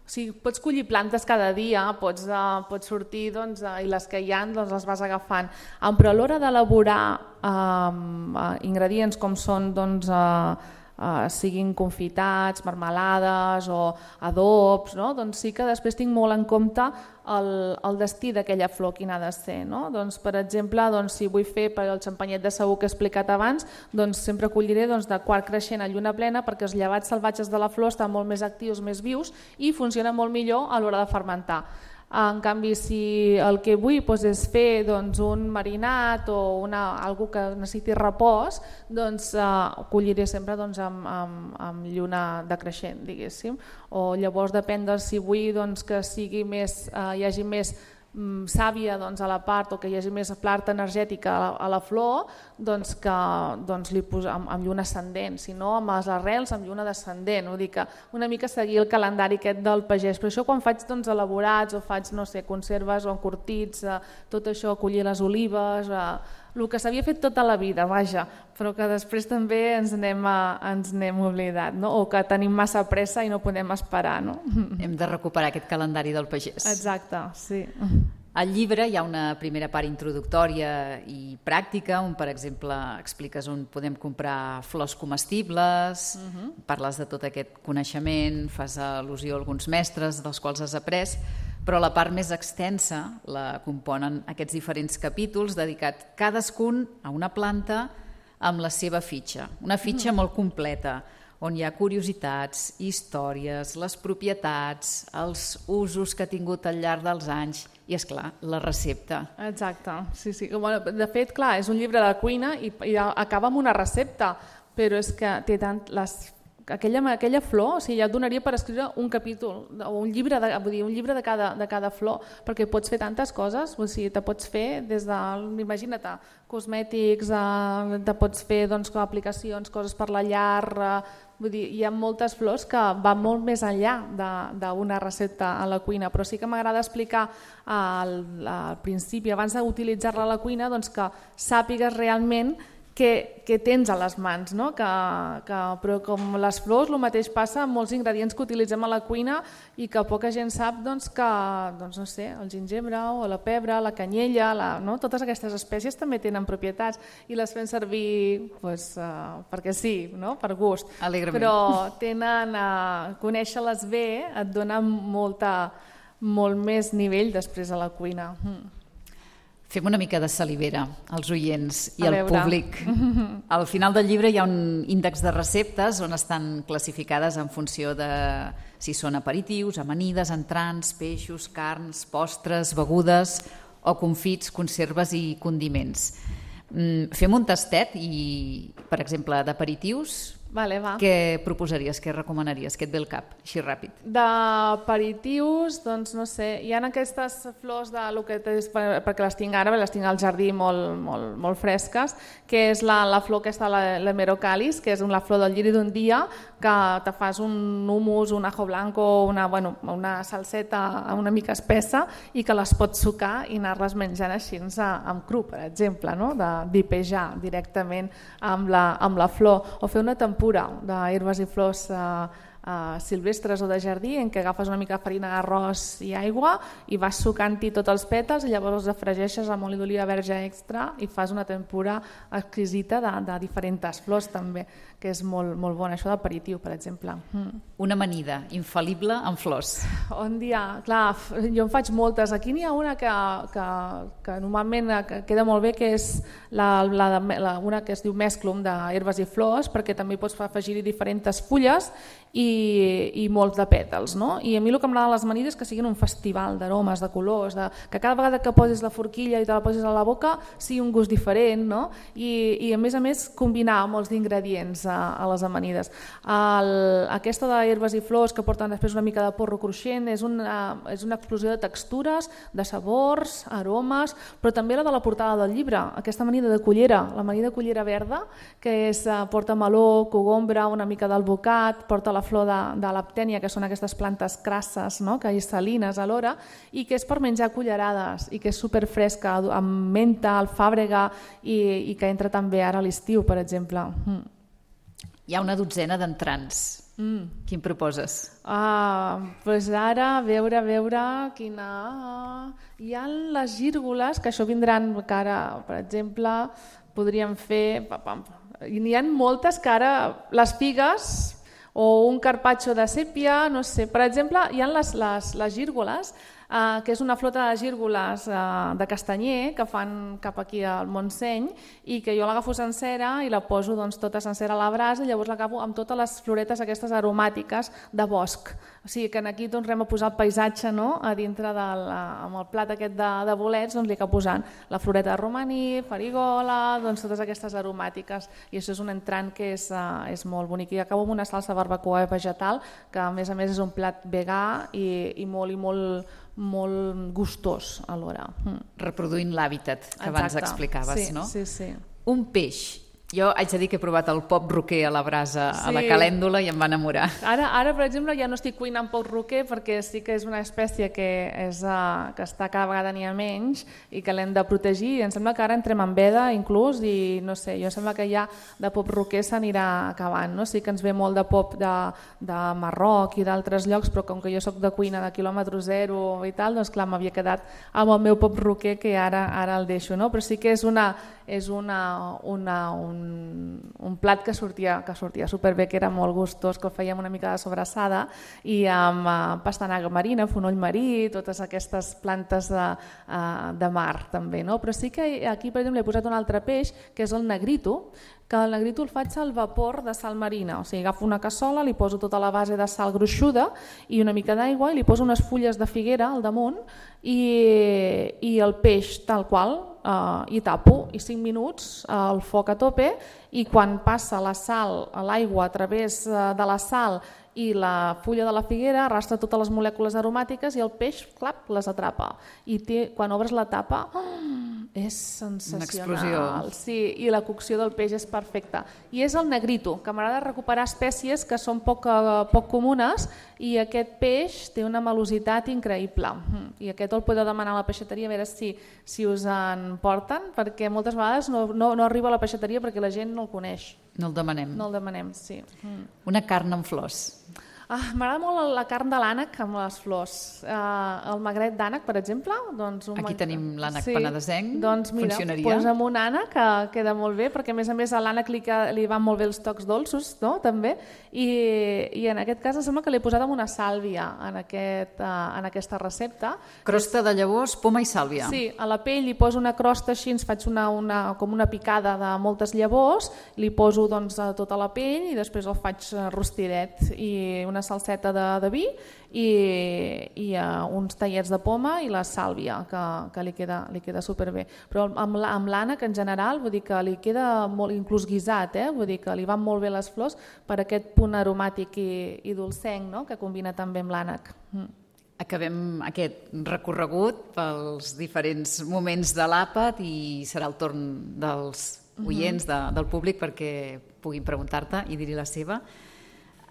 O sigui, pots collir plantes cada dia, pots, uh, pots sortir doncs, uh, i les que hi ha doncs, les vas agafant, um, però a l'hora d'elaborar um, uh, ingredients com són doncs, uh, uh, siguin confitats, marmelades o adobs, no? Doncs sí que després tinc molt en compte el, el destí d'aquella flor, quin ha de ser. No? Doncs, per exemple, doncs, si vull fer per el xampanyet de sagú que he explicat abans, doncs sempre colliré doncs, de quart creixent a lluna plena, perquè els llevats salvatges de la flor estan molt més actius, més vius i funcionen molt millor a l'hora de fermentar. En canvi, si el que vull doncs, és fer doncs, un marinat o una, algo que necessiti repòs, doncs eh, colliré sempre doncs, amb, amb, amb lluna decreixent, diguéssim. O llavors depèn de si vull doncs, que sigui més, eh, hi hagi més mm, sàvia doncs, a la part o que hi hagi més part energètica a la, a la flor, doncs que doncs, li poso amb, amb lluna ascendent, si no amb les arrels amb lluna descendent. Vull dir que una mica seguir el calendari aquest del pagès. Però això quan faig doncs, elaborats o faig no sé, conserves o encurtits, eh, tot això, collir les olives, eh, el que s'havia fet tota la vida, vaja, però que després també ens n'hem ens n'hem oblidat, no? O que tenim massa pressa i no podem esperar. No? Hem de recuperar aquest calendari del pagès. Exacte, sí. Al llibre hi ha una primera part introductòria i pràctica, on per exemple expliques on podem comprar flors comestibles, uh-huh. parles de tot aquest coneixement, fas al·lusió a alguns mestres dels quals has après, però la part més extensa la componen aquests diferents capítols dedicats cadascun a una planta amb la seva fitxa, una fitxa uh-huh. molt completa, on hi ha curiositats, històries, les propietats, els usos que ha tingut al llarg dels anys i, és clar, la recepta. Exacte, sí, sí. Bueno, de fet, clar, és un llibre de cuina i, i acaba amb una recepta, però és que té tant les aquella, aquella flor, o sigui, ja et donaria per escriure un capítol o un llibre de, vull dir, un llibre de cada, de cada flor, perquè pots fer tantes coses, o sigui, te pots fer des de, imagina't, cosmètics, eh, te pots fer doncs, aplicacions, coses per la llar, eh, vull dir, hi ha moltes flors que van molt més enllà d'una recepta a la cuina, però sí que m'agrada explicar al, al principi, abans d'utilitzar-la a la cuina, doncs que sàpigues realment que, que tens a les mans, no? que, que, però com les flors el mateix passa amb molts ingredients que utilitzem a la cuina i que poca gent sap doncs, que doncs, no sé, el gingebre o la pebre, la canyella, la, no? totes aquestes espècies també tenen propietats i les fem servir doncs, uh, perquè sí, no? per gust. Alegrament. Però tenen, uh, conèixer-les bé et dona molta, molt més nivell després a la cuina. Mm. Fem una mica de salivera als oients i a al veure. públic. Al final del llibre hi ha un índex de receptes on estan classificades en funció de si són aperitius, amanides, entrants, peixos, carns, postres, begudes o confits, conserves i condiments. Fem un tastet i, per exemple, d'aperitius, Vale, va. què proposaries, què recomanaries, què et ve al cap, així ràpid? D'aperitius, doncs no sé, hi ha aquestes flors de lo que tens, perquè les tinc ara, les tinc al jardí molt, molt, molt fresques, que és la, la flor aquesta, la, la Merocalis, que és la flor del lliri d'un dia, que te fas un hummus, un ajo blanco, una, bueno, una salseta una mica espessa i que les pots sucar i anar-les menjant així amb cru, per exemple, no? de dipejar directament amb la, amb la flor, o fer una tempura d'herbes i flors eh, eh, silvestres o de jardí en què agafes una mica de farina d'arròs i aigua i vas sucant-hi tots els pètals i llavors els afregeixes amb oli d'oliva verge extra i fas una tempura exquisita de, de diferents flors també, que és molt, molt bona, això d'aperitiu, per exemple. Mm. Una amanida infal·lible amb flors. On hi ha? Clar, jo en faig moltes. Aquí n'hi ha una que, que, que normalment queda molt bé, que és la, la, la, una que es diu mesclum d'herbes i flors, perquè també pots afegir-hi diferents fulles i, i molts de pètals. No? I a mi el que m'agrada les amanides és que siguin un festival d'aromes, de colors, de, que cada vegada que posis la forquilla i te la posis a la boca sigui un gust diferent, no? I, i a més a més combinar molts d'ingredients a, a les amanides. El, aquesta d'herbes i flors que porten després una mica de porro cruixent és una, és una explosió de textures, de sabors, aromes, però també la de la portada del llibre, aquesta amanida de cullera, l'amanida de cullera verda, que és, porta meló, cogombra, una mica d'alvocat, porta la flor de, de l'aptènia, que són aquestes plantes crasses, no? que hi salines alhora, i que és per menjar cullerades, i que és superfresca, amb menta, alfàbrega, i, i que entra també ara a l'estiu, per exemple. Mm. Hi ha una dotzena d'entrants. Mm. Quin proposes? Ah, doncs ara, a veure, a veure, quina... Hi ha les gírgoles, que això vindran, que ara, per exemple, podríem fer... n'hi ha moltes que ara, les figues o un carpaccio de sèpia, no sé, per exemple, hi ha les, les, les gírgoles, eh, que és una flota de gírgoles eh, de castanyer que fan cap aquí al Montseny i que jo l'agafo sencera i la poso doncs, tota sencera a la brasa i llavors l'agafo amb totes les floretes aquestes aromàtiques de bosc. O sigui que aquí tornem a posar el paisatge, no? A dintre del, amb el plat aquest de, de bolets, doncs li acabo posant la floreta de romaní, farigola, doncs totes aquestes aromàtiques i això és un entrant que és, uh, és molt bonic. I acabo amb una salsa barbacoa vegetal que a més a més és un plat vegà i, i molt i molt molt gustós alhora. Mm. Reproduint l'hàbitat que abans Exacte. explicaves, sí, no? Sí, sí. Un peix. Jo haig de dir que he provat el pop roquer a la brasa, sí. a la calèndula i em va enamorar. Ara, ara, per exemple, ja no estic cuinant pop roquer perquè sí que és una espècie que, és, uh, que està cada vegada n'hi ha menys i que l'hem de protegir. I em sembla que ara entrem en veda inclús i no sé, jo em sembla que ja de pop roquer s'anirà acabant. No? Sí que ens ve molt de pop de, de Marroc i d'altres llocs, però com que jo sóc de cuina de quilòmetre zero i tal, doncs clar, m'havia quedat amb el meu pop roquer que ara, ara el deixo. No? Però sí que és una... és una, una, un, un plat que sortia, que sortia superbé, que era molt gustós, que el fèiem una mica de sobrassada i amb uh, pastanaga marina, fonoll marí, totes aquestes plantes de, uh, de mar també. No? Però sí que aquí, per exemple, he posat un altre peix, que és el negrito, que el negrito el faig al vapor de sal marina, o sigui, agafo una cassola, li poso tota la base de sal gruixuda i una mica d'aigua i li poso unes fulles de figuera al damunt i, i el peix tal qual, Uh, i tapo i cinc minuts uh, el foc a tope i quan passa la sal a l'aigua a través uh, de la sal i la fulla de la figuera arrastra totes les molècules aromàtiques i el peix, clap, les atrapa. I té, quan obres la tapa, oh, és sensacional. Una explosió. Sí, i la cocció del peix és perfecta. I és el negrito, que m'agrada recuperar espècies que són poc, poc comunes i aquest peix té una melositat increïble. I aquest el podeu demanar a la peixateria a veure si, si us en porten, perquè moltes vegades no, no, no arriba a la peixateria perquè la gent no el coneix. No el demanem. No el demanem, sí. Una carn amb flors. Ah, m'agrada molt la carn de l'ànec amb les flors. Uh, el magret d'ànec, per exemple. Doncs un Aquí mag... tenim l'ànec sí. penedesenc, doncs mira, funcionaria. Posa'm un ànec que queda molt bé, perquè a més a més a l'ànec li, li van molt bé els tocs dolços, no? També. I, I en aquest cas em sembla que l'he posat amb una sàlvia en, aquest, uh, en aquesta recepta. Crosta de llavors, poma i sàlvia. Sí, a la pell li poso una crosta així, ens faig una, una, com una picada de moltes llavors, li poso doncs, a tota la pell i després el faig rostidet i una salseta de de vi i, i uh, uns tallets de poma i la sàlvia que, que li queda, li queda superbé. Però amb, amb l'ànec en general vull dir que li queda molt, inclús guisat, eh? Vull dir que li van molt bé les flors per aquest punt aromàtic i, i dolcenc, no? Que combina també amb l'ànec. Mm. Acabem aquest recorregut pels diferents moments de l'àpat i serà el torn dels oients, de, del públic, perquè puguin preguntar-te i dir-hi la seva.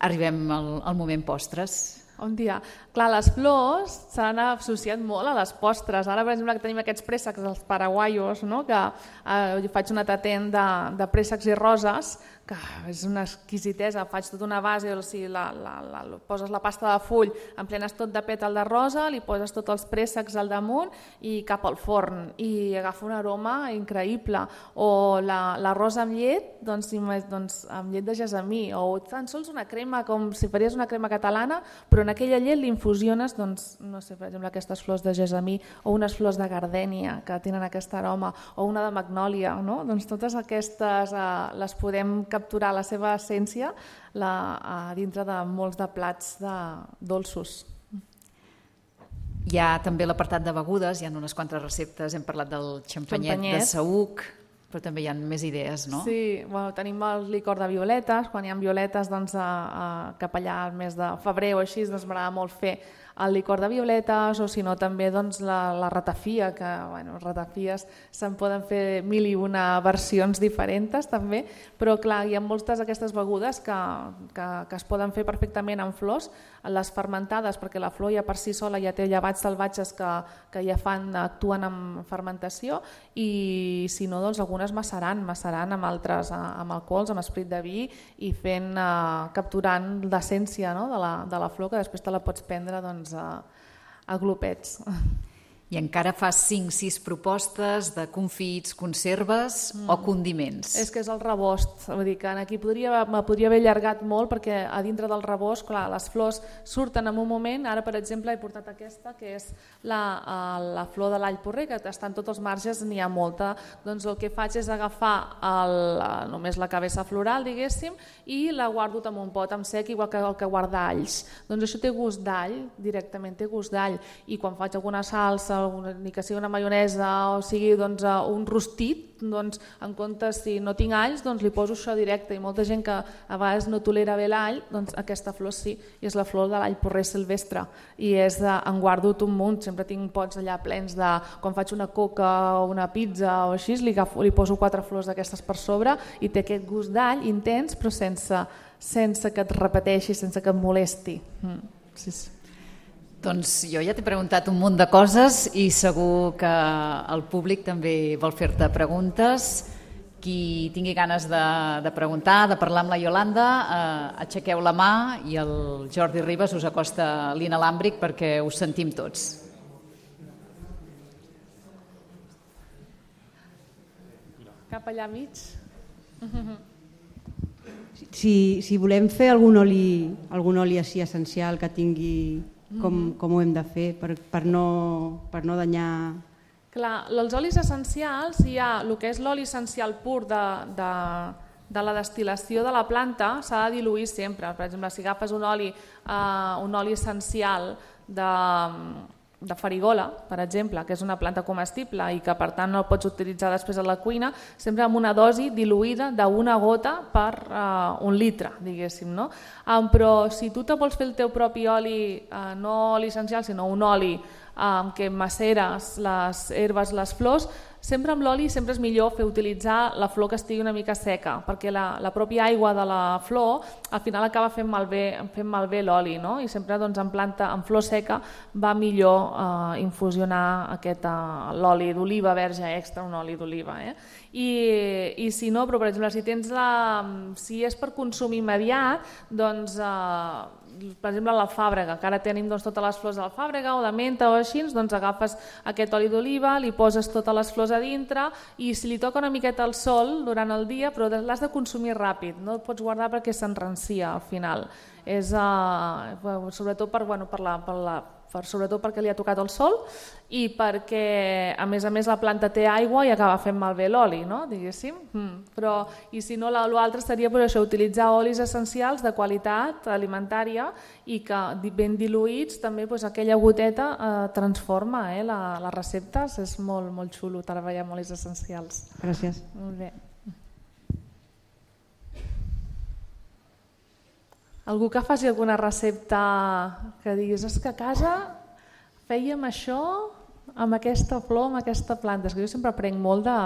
Arribem al, al moment postres. Un dia. Clar, les flors s'han associat molt a les postres. Ara, per exemple, que tenim aquests préssecs, els paraguaios, no? Que eh, jo faig una tatent de, de préssecs i roses, que és una exquisitesa. Faig tota una base, o sigui, la, la, la, poses la pasta de full, emplenes tot de pètal de rosa, li poses tots els préssecs al damunt i cap al forn. I agafa un aroma increïble. O la, la rosa amb llet, doncs, doncs amb llet de gessamí. O tan sols una crema, com si faries una crema catalana, però en aquella llet l'infusiones, doncs, no sé, per exemple, aquestes flors de gessamí o unes flors de gardènia que tenen aquest aroma, o una de magnòlia, no? Doncs totes aquestes eh, les podem capturar la seva essència la, eh, dintre de molts de plats de dolços. Hi ha també l'apartat de begudes, hi ha unes quantes receptes, hem parlat del xampanyet, xampanyet. de saüc, però també hi ha més idees, no? Sí, bueno, tenim el licor de violetes, quan hi ha violetes doncs, a, a, cap allà al mes de febrer o així, doncs m'agrada molt fer el licor de violetes o si no també doncs, la, la ratafia, que bueno, ratafies se'n poden fer mil i una versions diferents també, però clar, hi ha moltes d'aquestes begudes que, que, que es poden fer perfectament amb flors, les fermentades, perquè la flor ja per si sola ja té llevats salvatges que, que ja fan, actuen amb fermentació i si no, doncs algunes massaran, massaran amb altres, amb alcohols, amb esprit de vi i fent, eh, capturant l'essència, no? de, la, de la flor que després te la pots prendre doncs, a, a glopets. I encara fas cinc sis propostes de confits, conserves mm. o condiments. És que és el rebost, vull dir que aquí podria, me podria haver allargat molt perquè a dintre del rebost, clar, les flors surten en un moment, ara per exemple he portat aquesta que és la, la flor de l'all porrer, que està en tots els marges, n'hi ha molta, doncs el que faig és agafar el, només la cabeza floral, diguéssim, i la guardo en un pot amb sec, igual que el que guarda alls. Doncs això té gust d'all, directament té gust d'all, i quan faig alguna salsa, Una, ni que sigui una maionesa o sigui doncs, un rostit, doncs, en comptes si no tinc alls doncs li poso això directe, i molta gent que a vegades no tolera bé l'all, doncs aquesta flor sí, i és la flor de l'all porrer silvestre, i és de, en guardo un munt, sempre tinc pots allà plens de, quan faig una coca o una pizza o així, li, agafo, li poso quatre flors d'aquestes per sobre i té aquest gust d'all intens però sense, sense que et repeteixi, sense que et molesti. Mm. Sí, sí. Doncs jo ja t'he preguntat un munt de coses i segur que el públic també vol fer-te preguntes. Qui tingui ganes de, de preguntar, de parlar amb la Iolanda, eh, aixequeu la mà i el Jordi Ribas us acosta l'inalàmbric perquè us sentim tots. Cap allà mig. Si, si volem fer algun oli, algun oli així essencial que tingui... Com, com ho hem de fer per, per, no, per no danyar... Clar, els olis essencials, hi ha el que és l'oli essencial pur de, de, de la destil·lació de la planta, s'ha de diluir sempre. Per exemple, si agafes un oli, eh, un oli essencial de, de farigola, per exemple, que és una planta comestible i que per tant no el pots utilitzar després a la cuina, sempre amb una dosi diluïda d'una gota per uh, un litre, diguéssim. No? Um, però si tu te vols fer el teu propi oli, uh, no oli essencial, sinó un oli amb um, què maceres les herbes, les flors, sempre amb l'oli sempre és millor fer utilitzar la flor que estigui una mica seca, perquè la, la pròpia aigua de la flor al final acaba fent malbé, fent malbé l'oli, no? I sempre doncs, en planta, en flor seca va millor eh, infusionar aquest, uh, l'oli d'oliva verge extra, un oli d'oliva. Eh? I, I si no, però per exemple, si, tens la, si és per consum immediat, doncs... Eh, per exemple l'alfàbrega, que ara tenim doncs, totes les flors d'alfàbrega o de menta o així, doncs agafes aquest oli d'oliva, li poses totes les flors a dintre i si li toca una miqueta al sol durant el dia, però l'has de consumir ràpid, no el pots guardar perquè s'enrancia al final. És, uh, sobretot, per, bueno, per la, per la, per, sobretot perquè li ha tocat el sol i perquè a més a més la planta té aigua i acaba fent malbé l'oli, no? Diguéssim. Mm. Però, i si no, l'altre seria per això, utilitzar olis essencials de qualitat alimentària i que ben diluïts també doncs, aquella goteta eh, transforma eh, la, les receptes. És molt, molt xulo treballar amb olis essencials. Gràcies. Molt bé. Algú que faci alguna recepta que diguis, és que a casa fèiem això amb aquesta flor, amb aquesta planta. És que jo sempre aprenc molt de,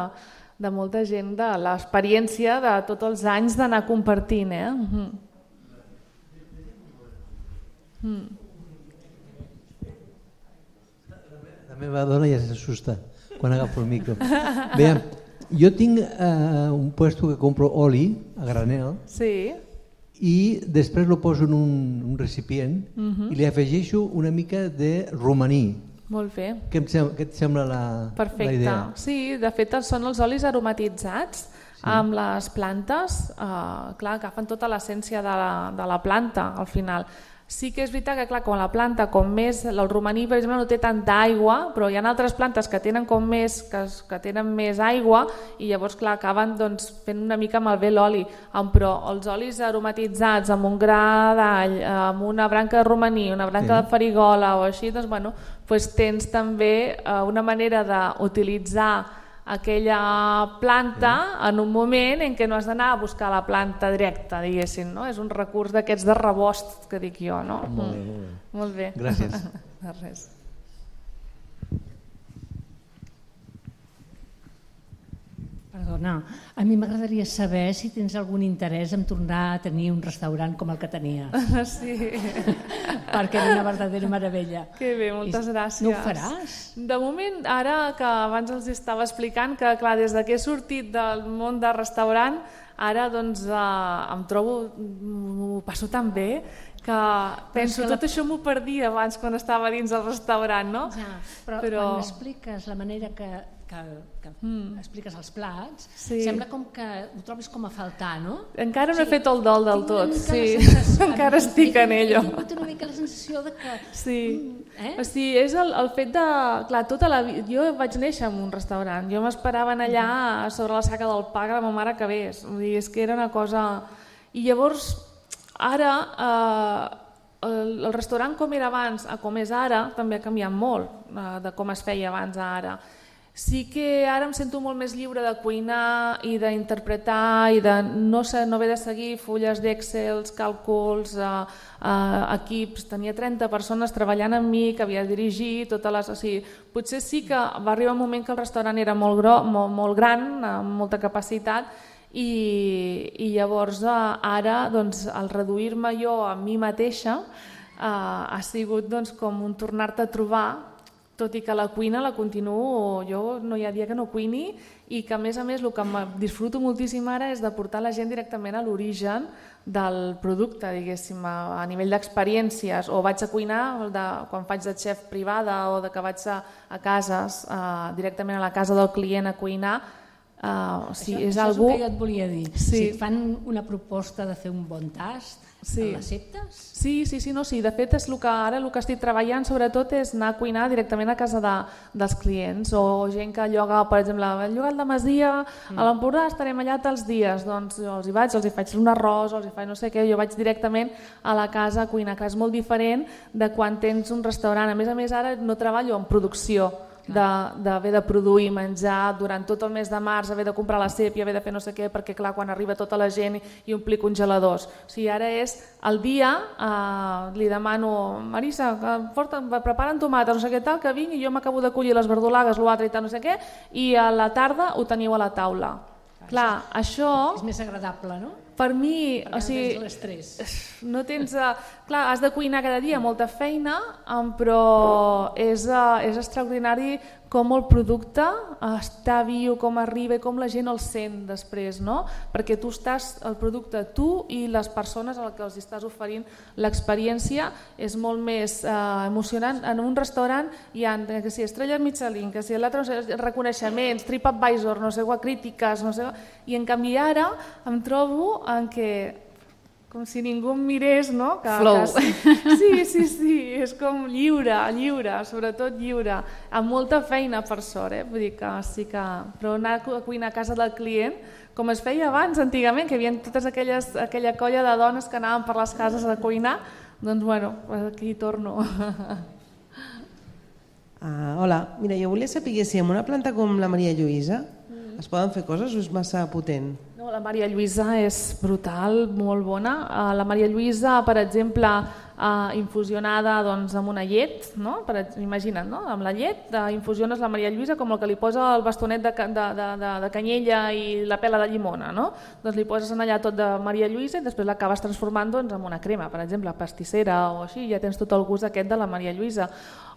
de molta gent, de l'experiència de tots els anys d'anar compartint. Eh? Mm. Mm. La meva dona ja s'assusta quan agafo el micro. Bé, jo tinc eh, un puesto que compro oli a granel. Sí. I després lo poso en un, un recipient uh-huh. i li afegeixo una mica de romaní. Molt bé. Què, em sembla, què et sembla la, Perfecte. La idea? Sí, de fet són els olis aromatitzats sí. amb les plantes, eh, clar, agafen tota l'essència de, la, de la planta al final. Sí que és veritat que clar, quan la planta, com més, el romaní per exemple no té tanta aigua, però hi ha altres plantes que tenen com més, que, que tenen més aigua i llavors clar, acaben doncs, fent una mica malbé l'oli. Però els olis aromatitzats amb un gra d'all, amb una branca de romaní, una branca sí. de farigola o així, doncs, bueno, doncs tens també eh, una manera d'utilitzar aquella planta sí. en un moment en què no has d'anar a buscar la planta directa, diguéssim, no? És un recurs d'aquests de rebost que dic jo, no? Molt bé, molt bé. Molt bé. Gràcies. De res. Perdona, a mi m'agradaria saber si tens algun interès en tornar a tenir un restaurant com el que tenies. Sí. Perquè era una verdadera meravella. Que bé, moltes I gràcies. No ho faràs? De moment, ara que abans els estava explicant que clar, des que he sortit del món del restaurant, ara doncs, eh, em trobo, m'ho passo tan bé, que que penso, tot això m'ho perdia abans quan estava dins del restaurant, no? Ja, però, però quan expliques la manera que, que, que mm. expliques els plats, sí. sembla com que ho trobis com a faltar, no? Encara no he fet el dol del tot, sí. Sensació, encara estic en ello. He tingut una mica la sensació de que... Sí, eh? o sigui, és el, el fet de... Clar, tota la vida... Jo vaig néixer en un restaurant, jo m'esperava allà sobre la saca del pa que la meva mare acabés, vull dir, és que era una cosa... I llavors... Ara, eh, el, el restaurant com era abans a com és ara també ha canviat molt eh, de com es feia abans a ara. Sí que ara em sento molt més lliure de cuinar i d'interpretar i de no, no haver de seguir fulles d'Excel, càlculs, eh, eh, equips. Tenia trenta persones treballant amb mi, que havia de dirigir totes les... O sigui, potser sí que va arribar un moment que el restaurant era molt, gro, molt, molt gran, amb molta capacitat, I, i llavors ara doncs, el reduir-me jo a mi mateixa eh, ha sigut doncs, com un tornar-te a trobar, tot i que la cuina la continuo, jo no hi ha dia que no cuini i que a més a més el que disfruto moltíssim ara és de portar la gent directament a l'origen del producte, diguéssim, a, a nivell d'experiències, o vaig a cuinar de, quan faig de xef privada o de que vaig a, a cases, eh, directament a la casa del client a cuinar. Uh, o sigui, això, és això algú... és el que jo et volia dir. Sí. Si et fan una proposta de fer un bon tast, sí. l'acceptes? Sí, sí, sí, no, sí. De fet, és el que, ara el que estic treballant sobretot és anar a cuinar directament a casa de, dels clients, o gent que lloga, per exemple, el llogat de Masia, mm. a l'Empordà estarem allà tals dies, doncs jo els hi vaig, els hi faig un arròs, els hi faig no sé què, jo vaig directament a la casa a cuinar, que és molt diferent de quan tens un restaurant. A més a més, ara no treballo en producció, d'haver de, de produir menjar durant tot el mes de març, haver de comprar la sèpia, haver de fer no sé què, perquè clar, quan arriba tota la gent i omplir congeladors. O sigui, ara és el dia, eh, li demano, Marisa, preparen tomates, no sé què tal, que vinc i jo m'acabo de collir les verdolagues, l'altre i tal, no sé què, i a la tarda ho teniu a la taula. Clar, això... És més agradable, no? Per mi, perquè o sigui, no tens l'estrès. No tens, uh, clar, has de cuinar cada dia, molta feina, um, però és, uh, és extraordinari com el producte està viu, com arriba i com la gent el sent després, no? Perquè tu estàs, el producte, tu i les persones a les que els estàs oferint l'experiència és molt més uh, emocionant. En un restaurant hi ha, que si estrelles Michelin, que si l'altre, no sé, reconeixements, TripAdvisor, no sé, crítiques, no sé, i en canvi ara em trobo en què com si ningú em mirés, no? Que, Flow. Que, sí, sí, sí, és com lliure, lliure, sobretot lliure, amb molta feina per sort, eh? Vull dir que sí que... Però anar a cuinar a casa del client, com es feia abans, antigament, que hi havia totes aquelles, aquella colla de dones que anaven per les cases a cuinar, doncs bueno, aquí torno. Ah, hola, mira, jo volia saber si amb una planta com la Maria Lluïsa es poden fer coses o és massa potent? No, la Maria Lluïsa és brutal, molt bona. La Maria Lluïsa, per exemple, infusionada doncs, amb una llet, no? Per, imagina't, no? Amb la llet infusiones la Maria Lluïsa com el que li posa el bastonet de, de, de, de canyella i la pela de llimona, no? Doncs li poses allà tot de Maria Lluïsa i després l'acabes transformant doncs, en una crema, per exemple, pastissera o així, ja tens tot el gust aquest de la Maria Lluïsa.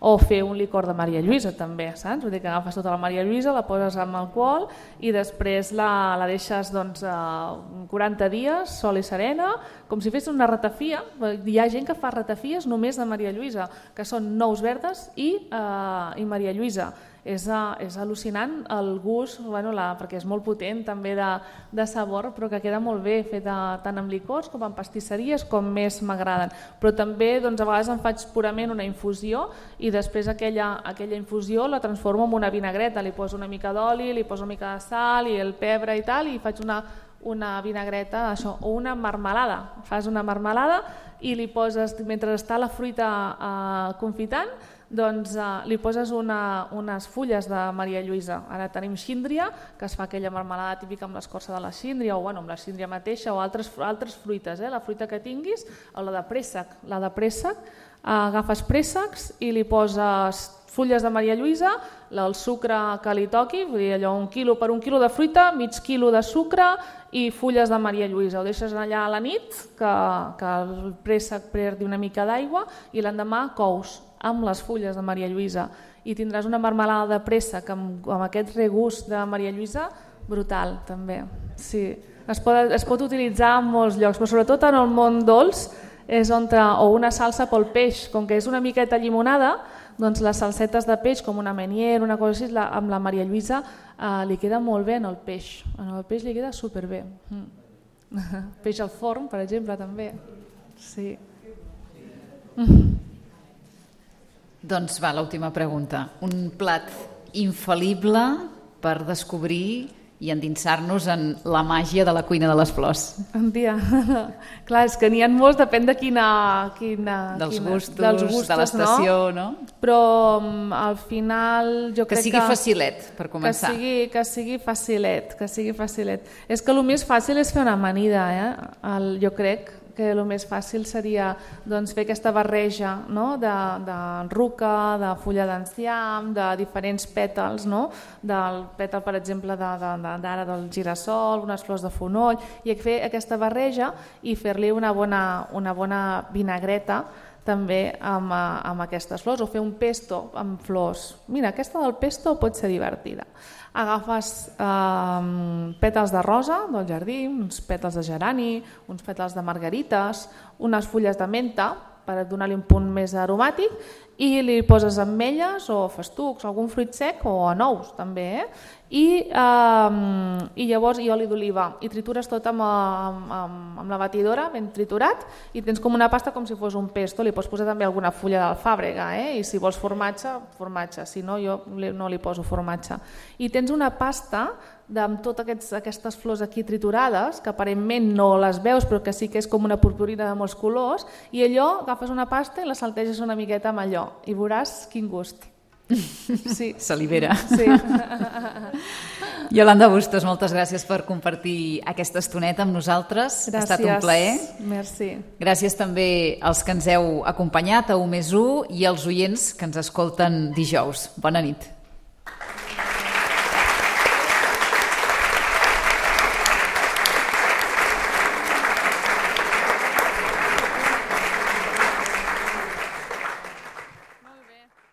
O fer un licor de Maria Lluïsa també, saps? Vull dir que agafes tota la Maria Lluïsa, la poses amb alcohol i després la, la deixes doncs, quaranta dies, sol i serena, com si fes una ratafia. Hi ha gent que fa ratafies només de Maria Lluïsa, que són nous verdes i, eh, i Maria Lluïsa. És, és al·lucinant el gust, bueno, la, perquè és molt potent també de, de sabor, però que queda molt bé feta tant amb licors com amb pastisseries com més m'agraden. Però també doncs, a vegades em faig purament una infusió i després aquella, aquella infusió la transformo en una vinagreta, li poso una mica d'oli, li poso una mica de sal i el pebre i tal i faig una, una vinagreta, això, o una marmelada. Fas una marmelada i li poses, mentre està la fruita eh, confitant, doncs eh, li poses una, unes fulles de Maria Lluïsa. Ara tenim síndria, que es fa aquella marmelada típica amb l'escorça de la síndria, o bueno, amb la síndria mateixa, o altres, altres fruites, eh? La fruita que tinguis, o la de préssec. La de préssec, eh, agafes préssecs i li poses fulles de Maria Lluïsa, el sucre que li toqui, vull dir, allò, un quilo per un quilo de fruita, mig quilo de sucre i fulles de Maria Lluïsa. Ho deixes allà a la nit, que, que el préssec perdi una mica d'aigua i l'endemà cous amb les fulles de Maria Lluïsa i tindràs una marmelada de préssec amb, amb aquest regust de Maria Lluïsa brutal també. Sí. Es pot, es pot utilitzar en molts llocs, però sobretot en el món dolç és on, o una salsa pel peix, com que és una miqueta llimonada, doncs les salsetes de peix, com una menier, una cosa així, la, amb la Maria Lluïsa eh, li queda molt bé en el peix. En el peix li queda superbé. Mm. Peix al forn, per exemple, també. Sí. Mm. Doncs va, l'última pregunta. Un plat infal·lible per descobrir i endinsar-nos en la màgia de la cuina de les flors. Tia, clar, és que n'hi ha molts, depèn de quina... quina dels, quina, gustos, dels gustos, de l'estació, no? no? Però al final jo que crec sigui que... facilet, per començar. Que sigui, que sigui facilet, que sigui facilet. És que el més fàcil és fer una amanida, eh? El, jo crec que el més fàcil seria doncs, fer aquesta barreja, no? de, de ruca, de fulla d'enciam, de diferents pètals, no? Del pètal, per exemple, d'ara de, de, del girassol, unes flors de fonoll, i fer aquesta barreja i fer-li una bona, una bona vinagreta també amb, amb aquestes flors, o fer un pesto amb flors. Mira, aquesta del pesto pot ser divertida. Agafes eh, pètals de rosa del jardí, uns pètals de gerani, uns pètals de margarites, unes fulles de menta per donar-li un punt més aromàtic i li poses ametlles o festucs, algun fruit sec o nous també, eh? I, eh, i llavors i oli d'oliva i tritures tot amb, amb, amb la batidora ben triturat i tens com una pasta com si fos un pesto, li pots posar també alguna fulla d'alfàbrega, eh? I si vols formatge, formatge, si no jo no li poso formatge. I tens una pasta amb totes aquests, aquestes flors aquí triturades, que aparentment no les veus però que sí que és com una purpurina de molts colors, i allò agafes una pasta i la salteges una miqueta amb allò i veuràs quin gust. Sí. Salivera. Sí. Yolanda Bustos, moltes gràcies per compartir aquesta estoneta amb nosaltres. Gràcies. Ha estat un plaer. Merci. Gràcies també als que ens heu acompanyat a u més u i als oients que ens escolten dijous. Bona nit.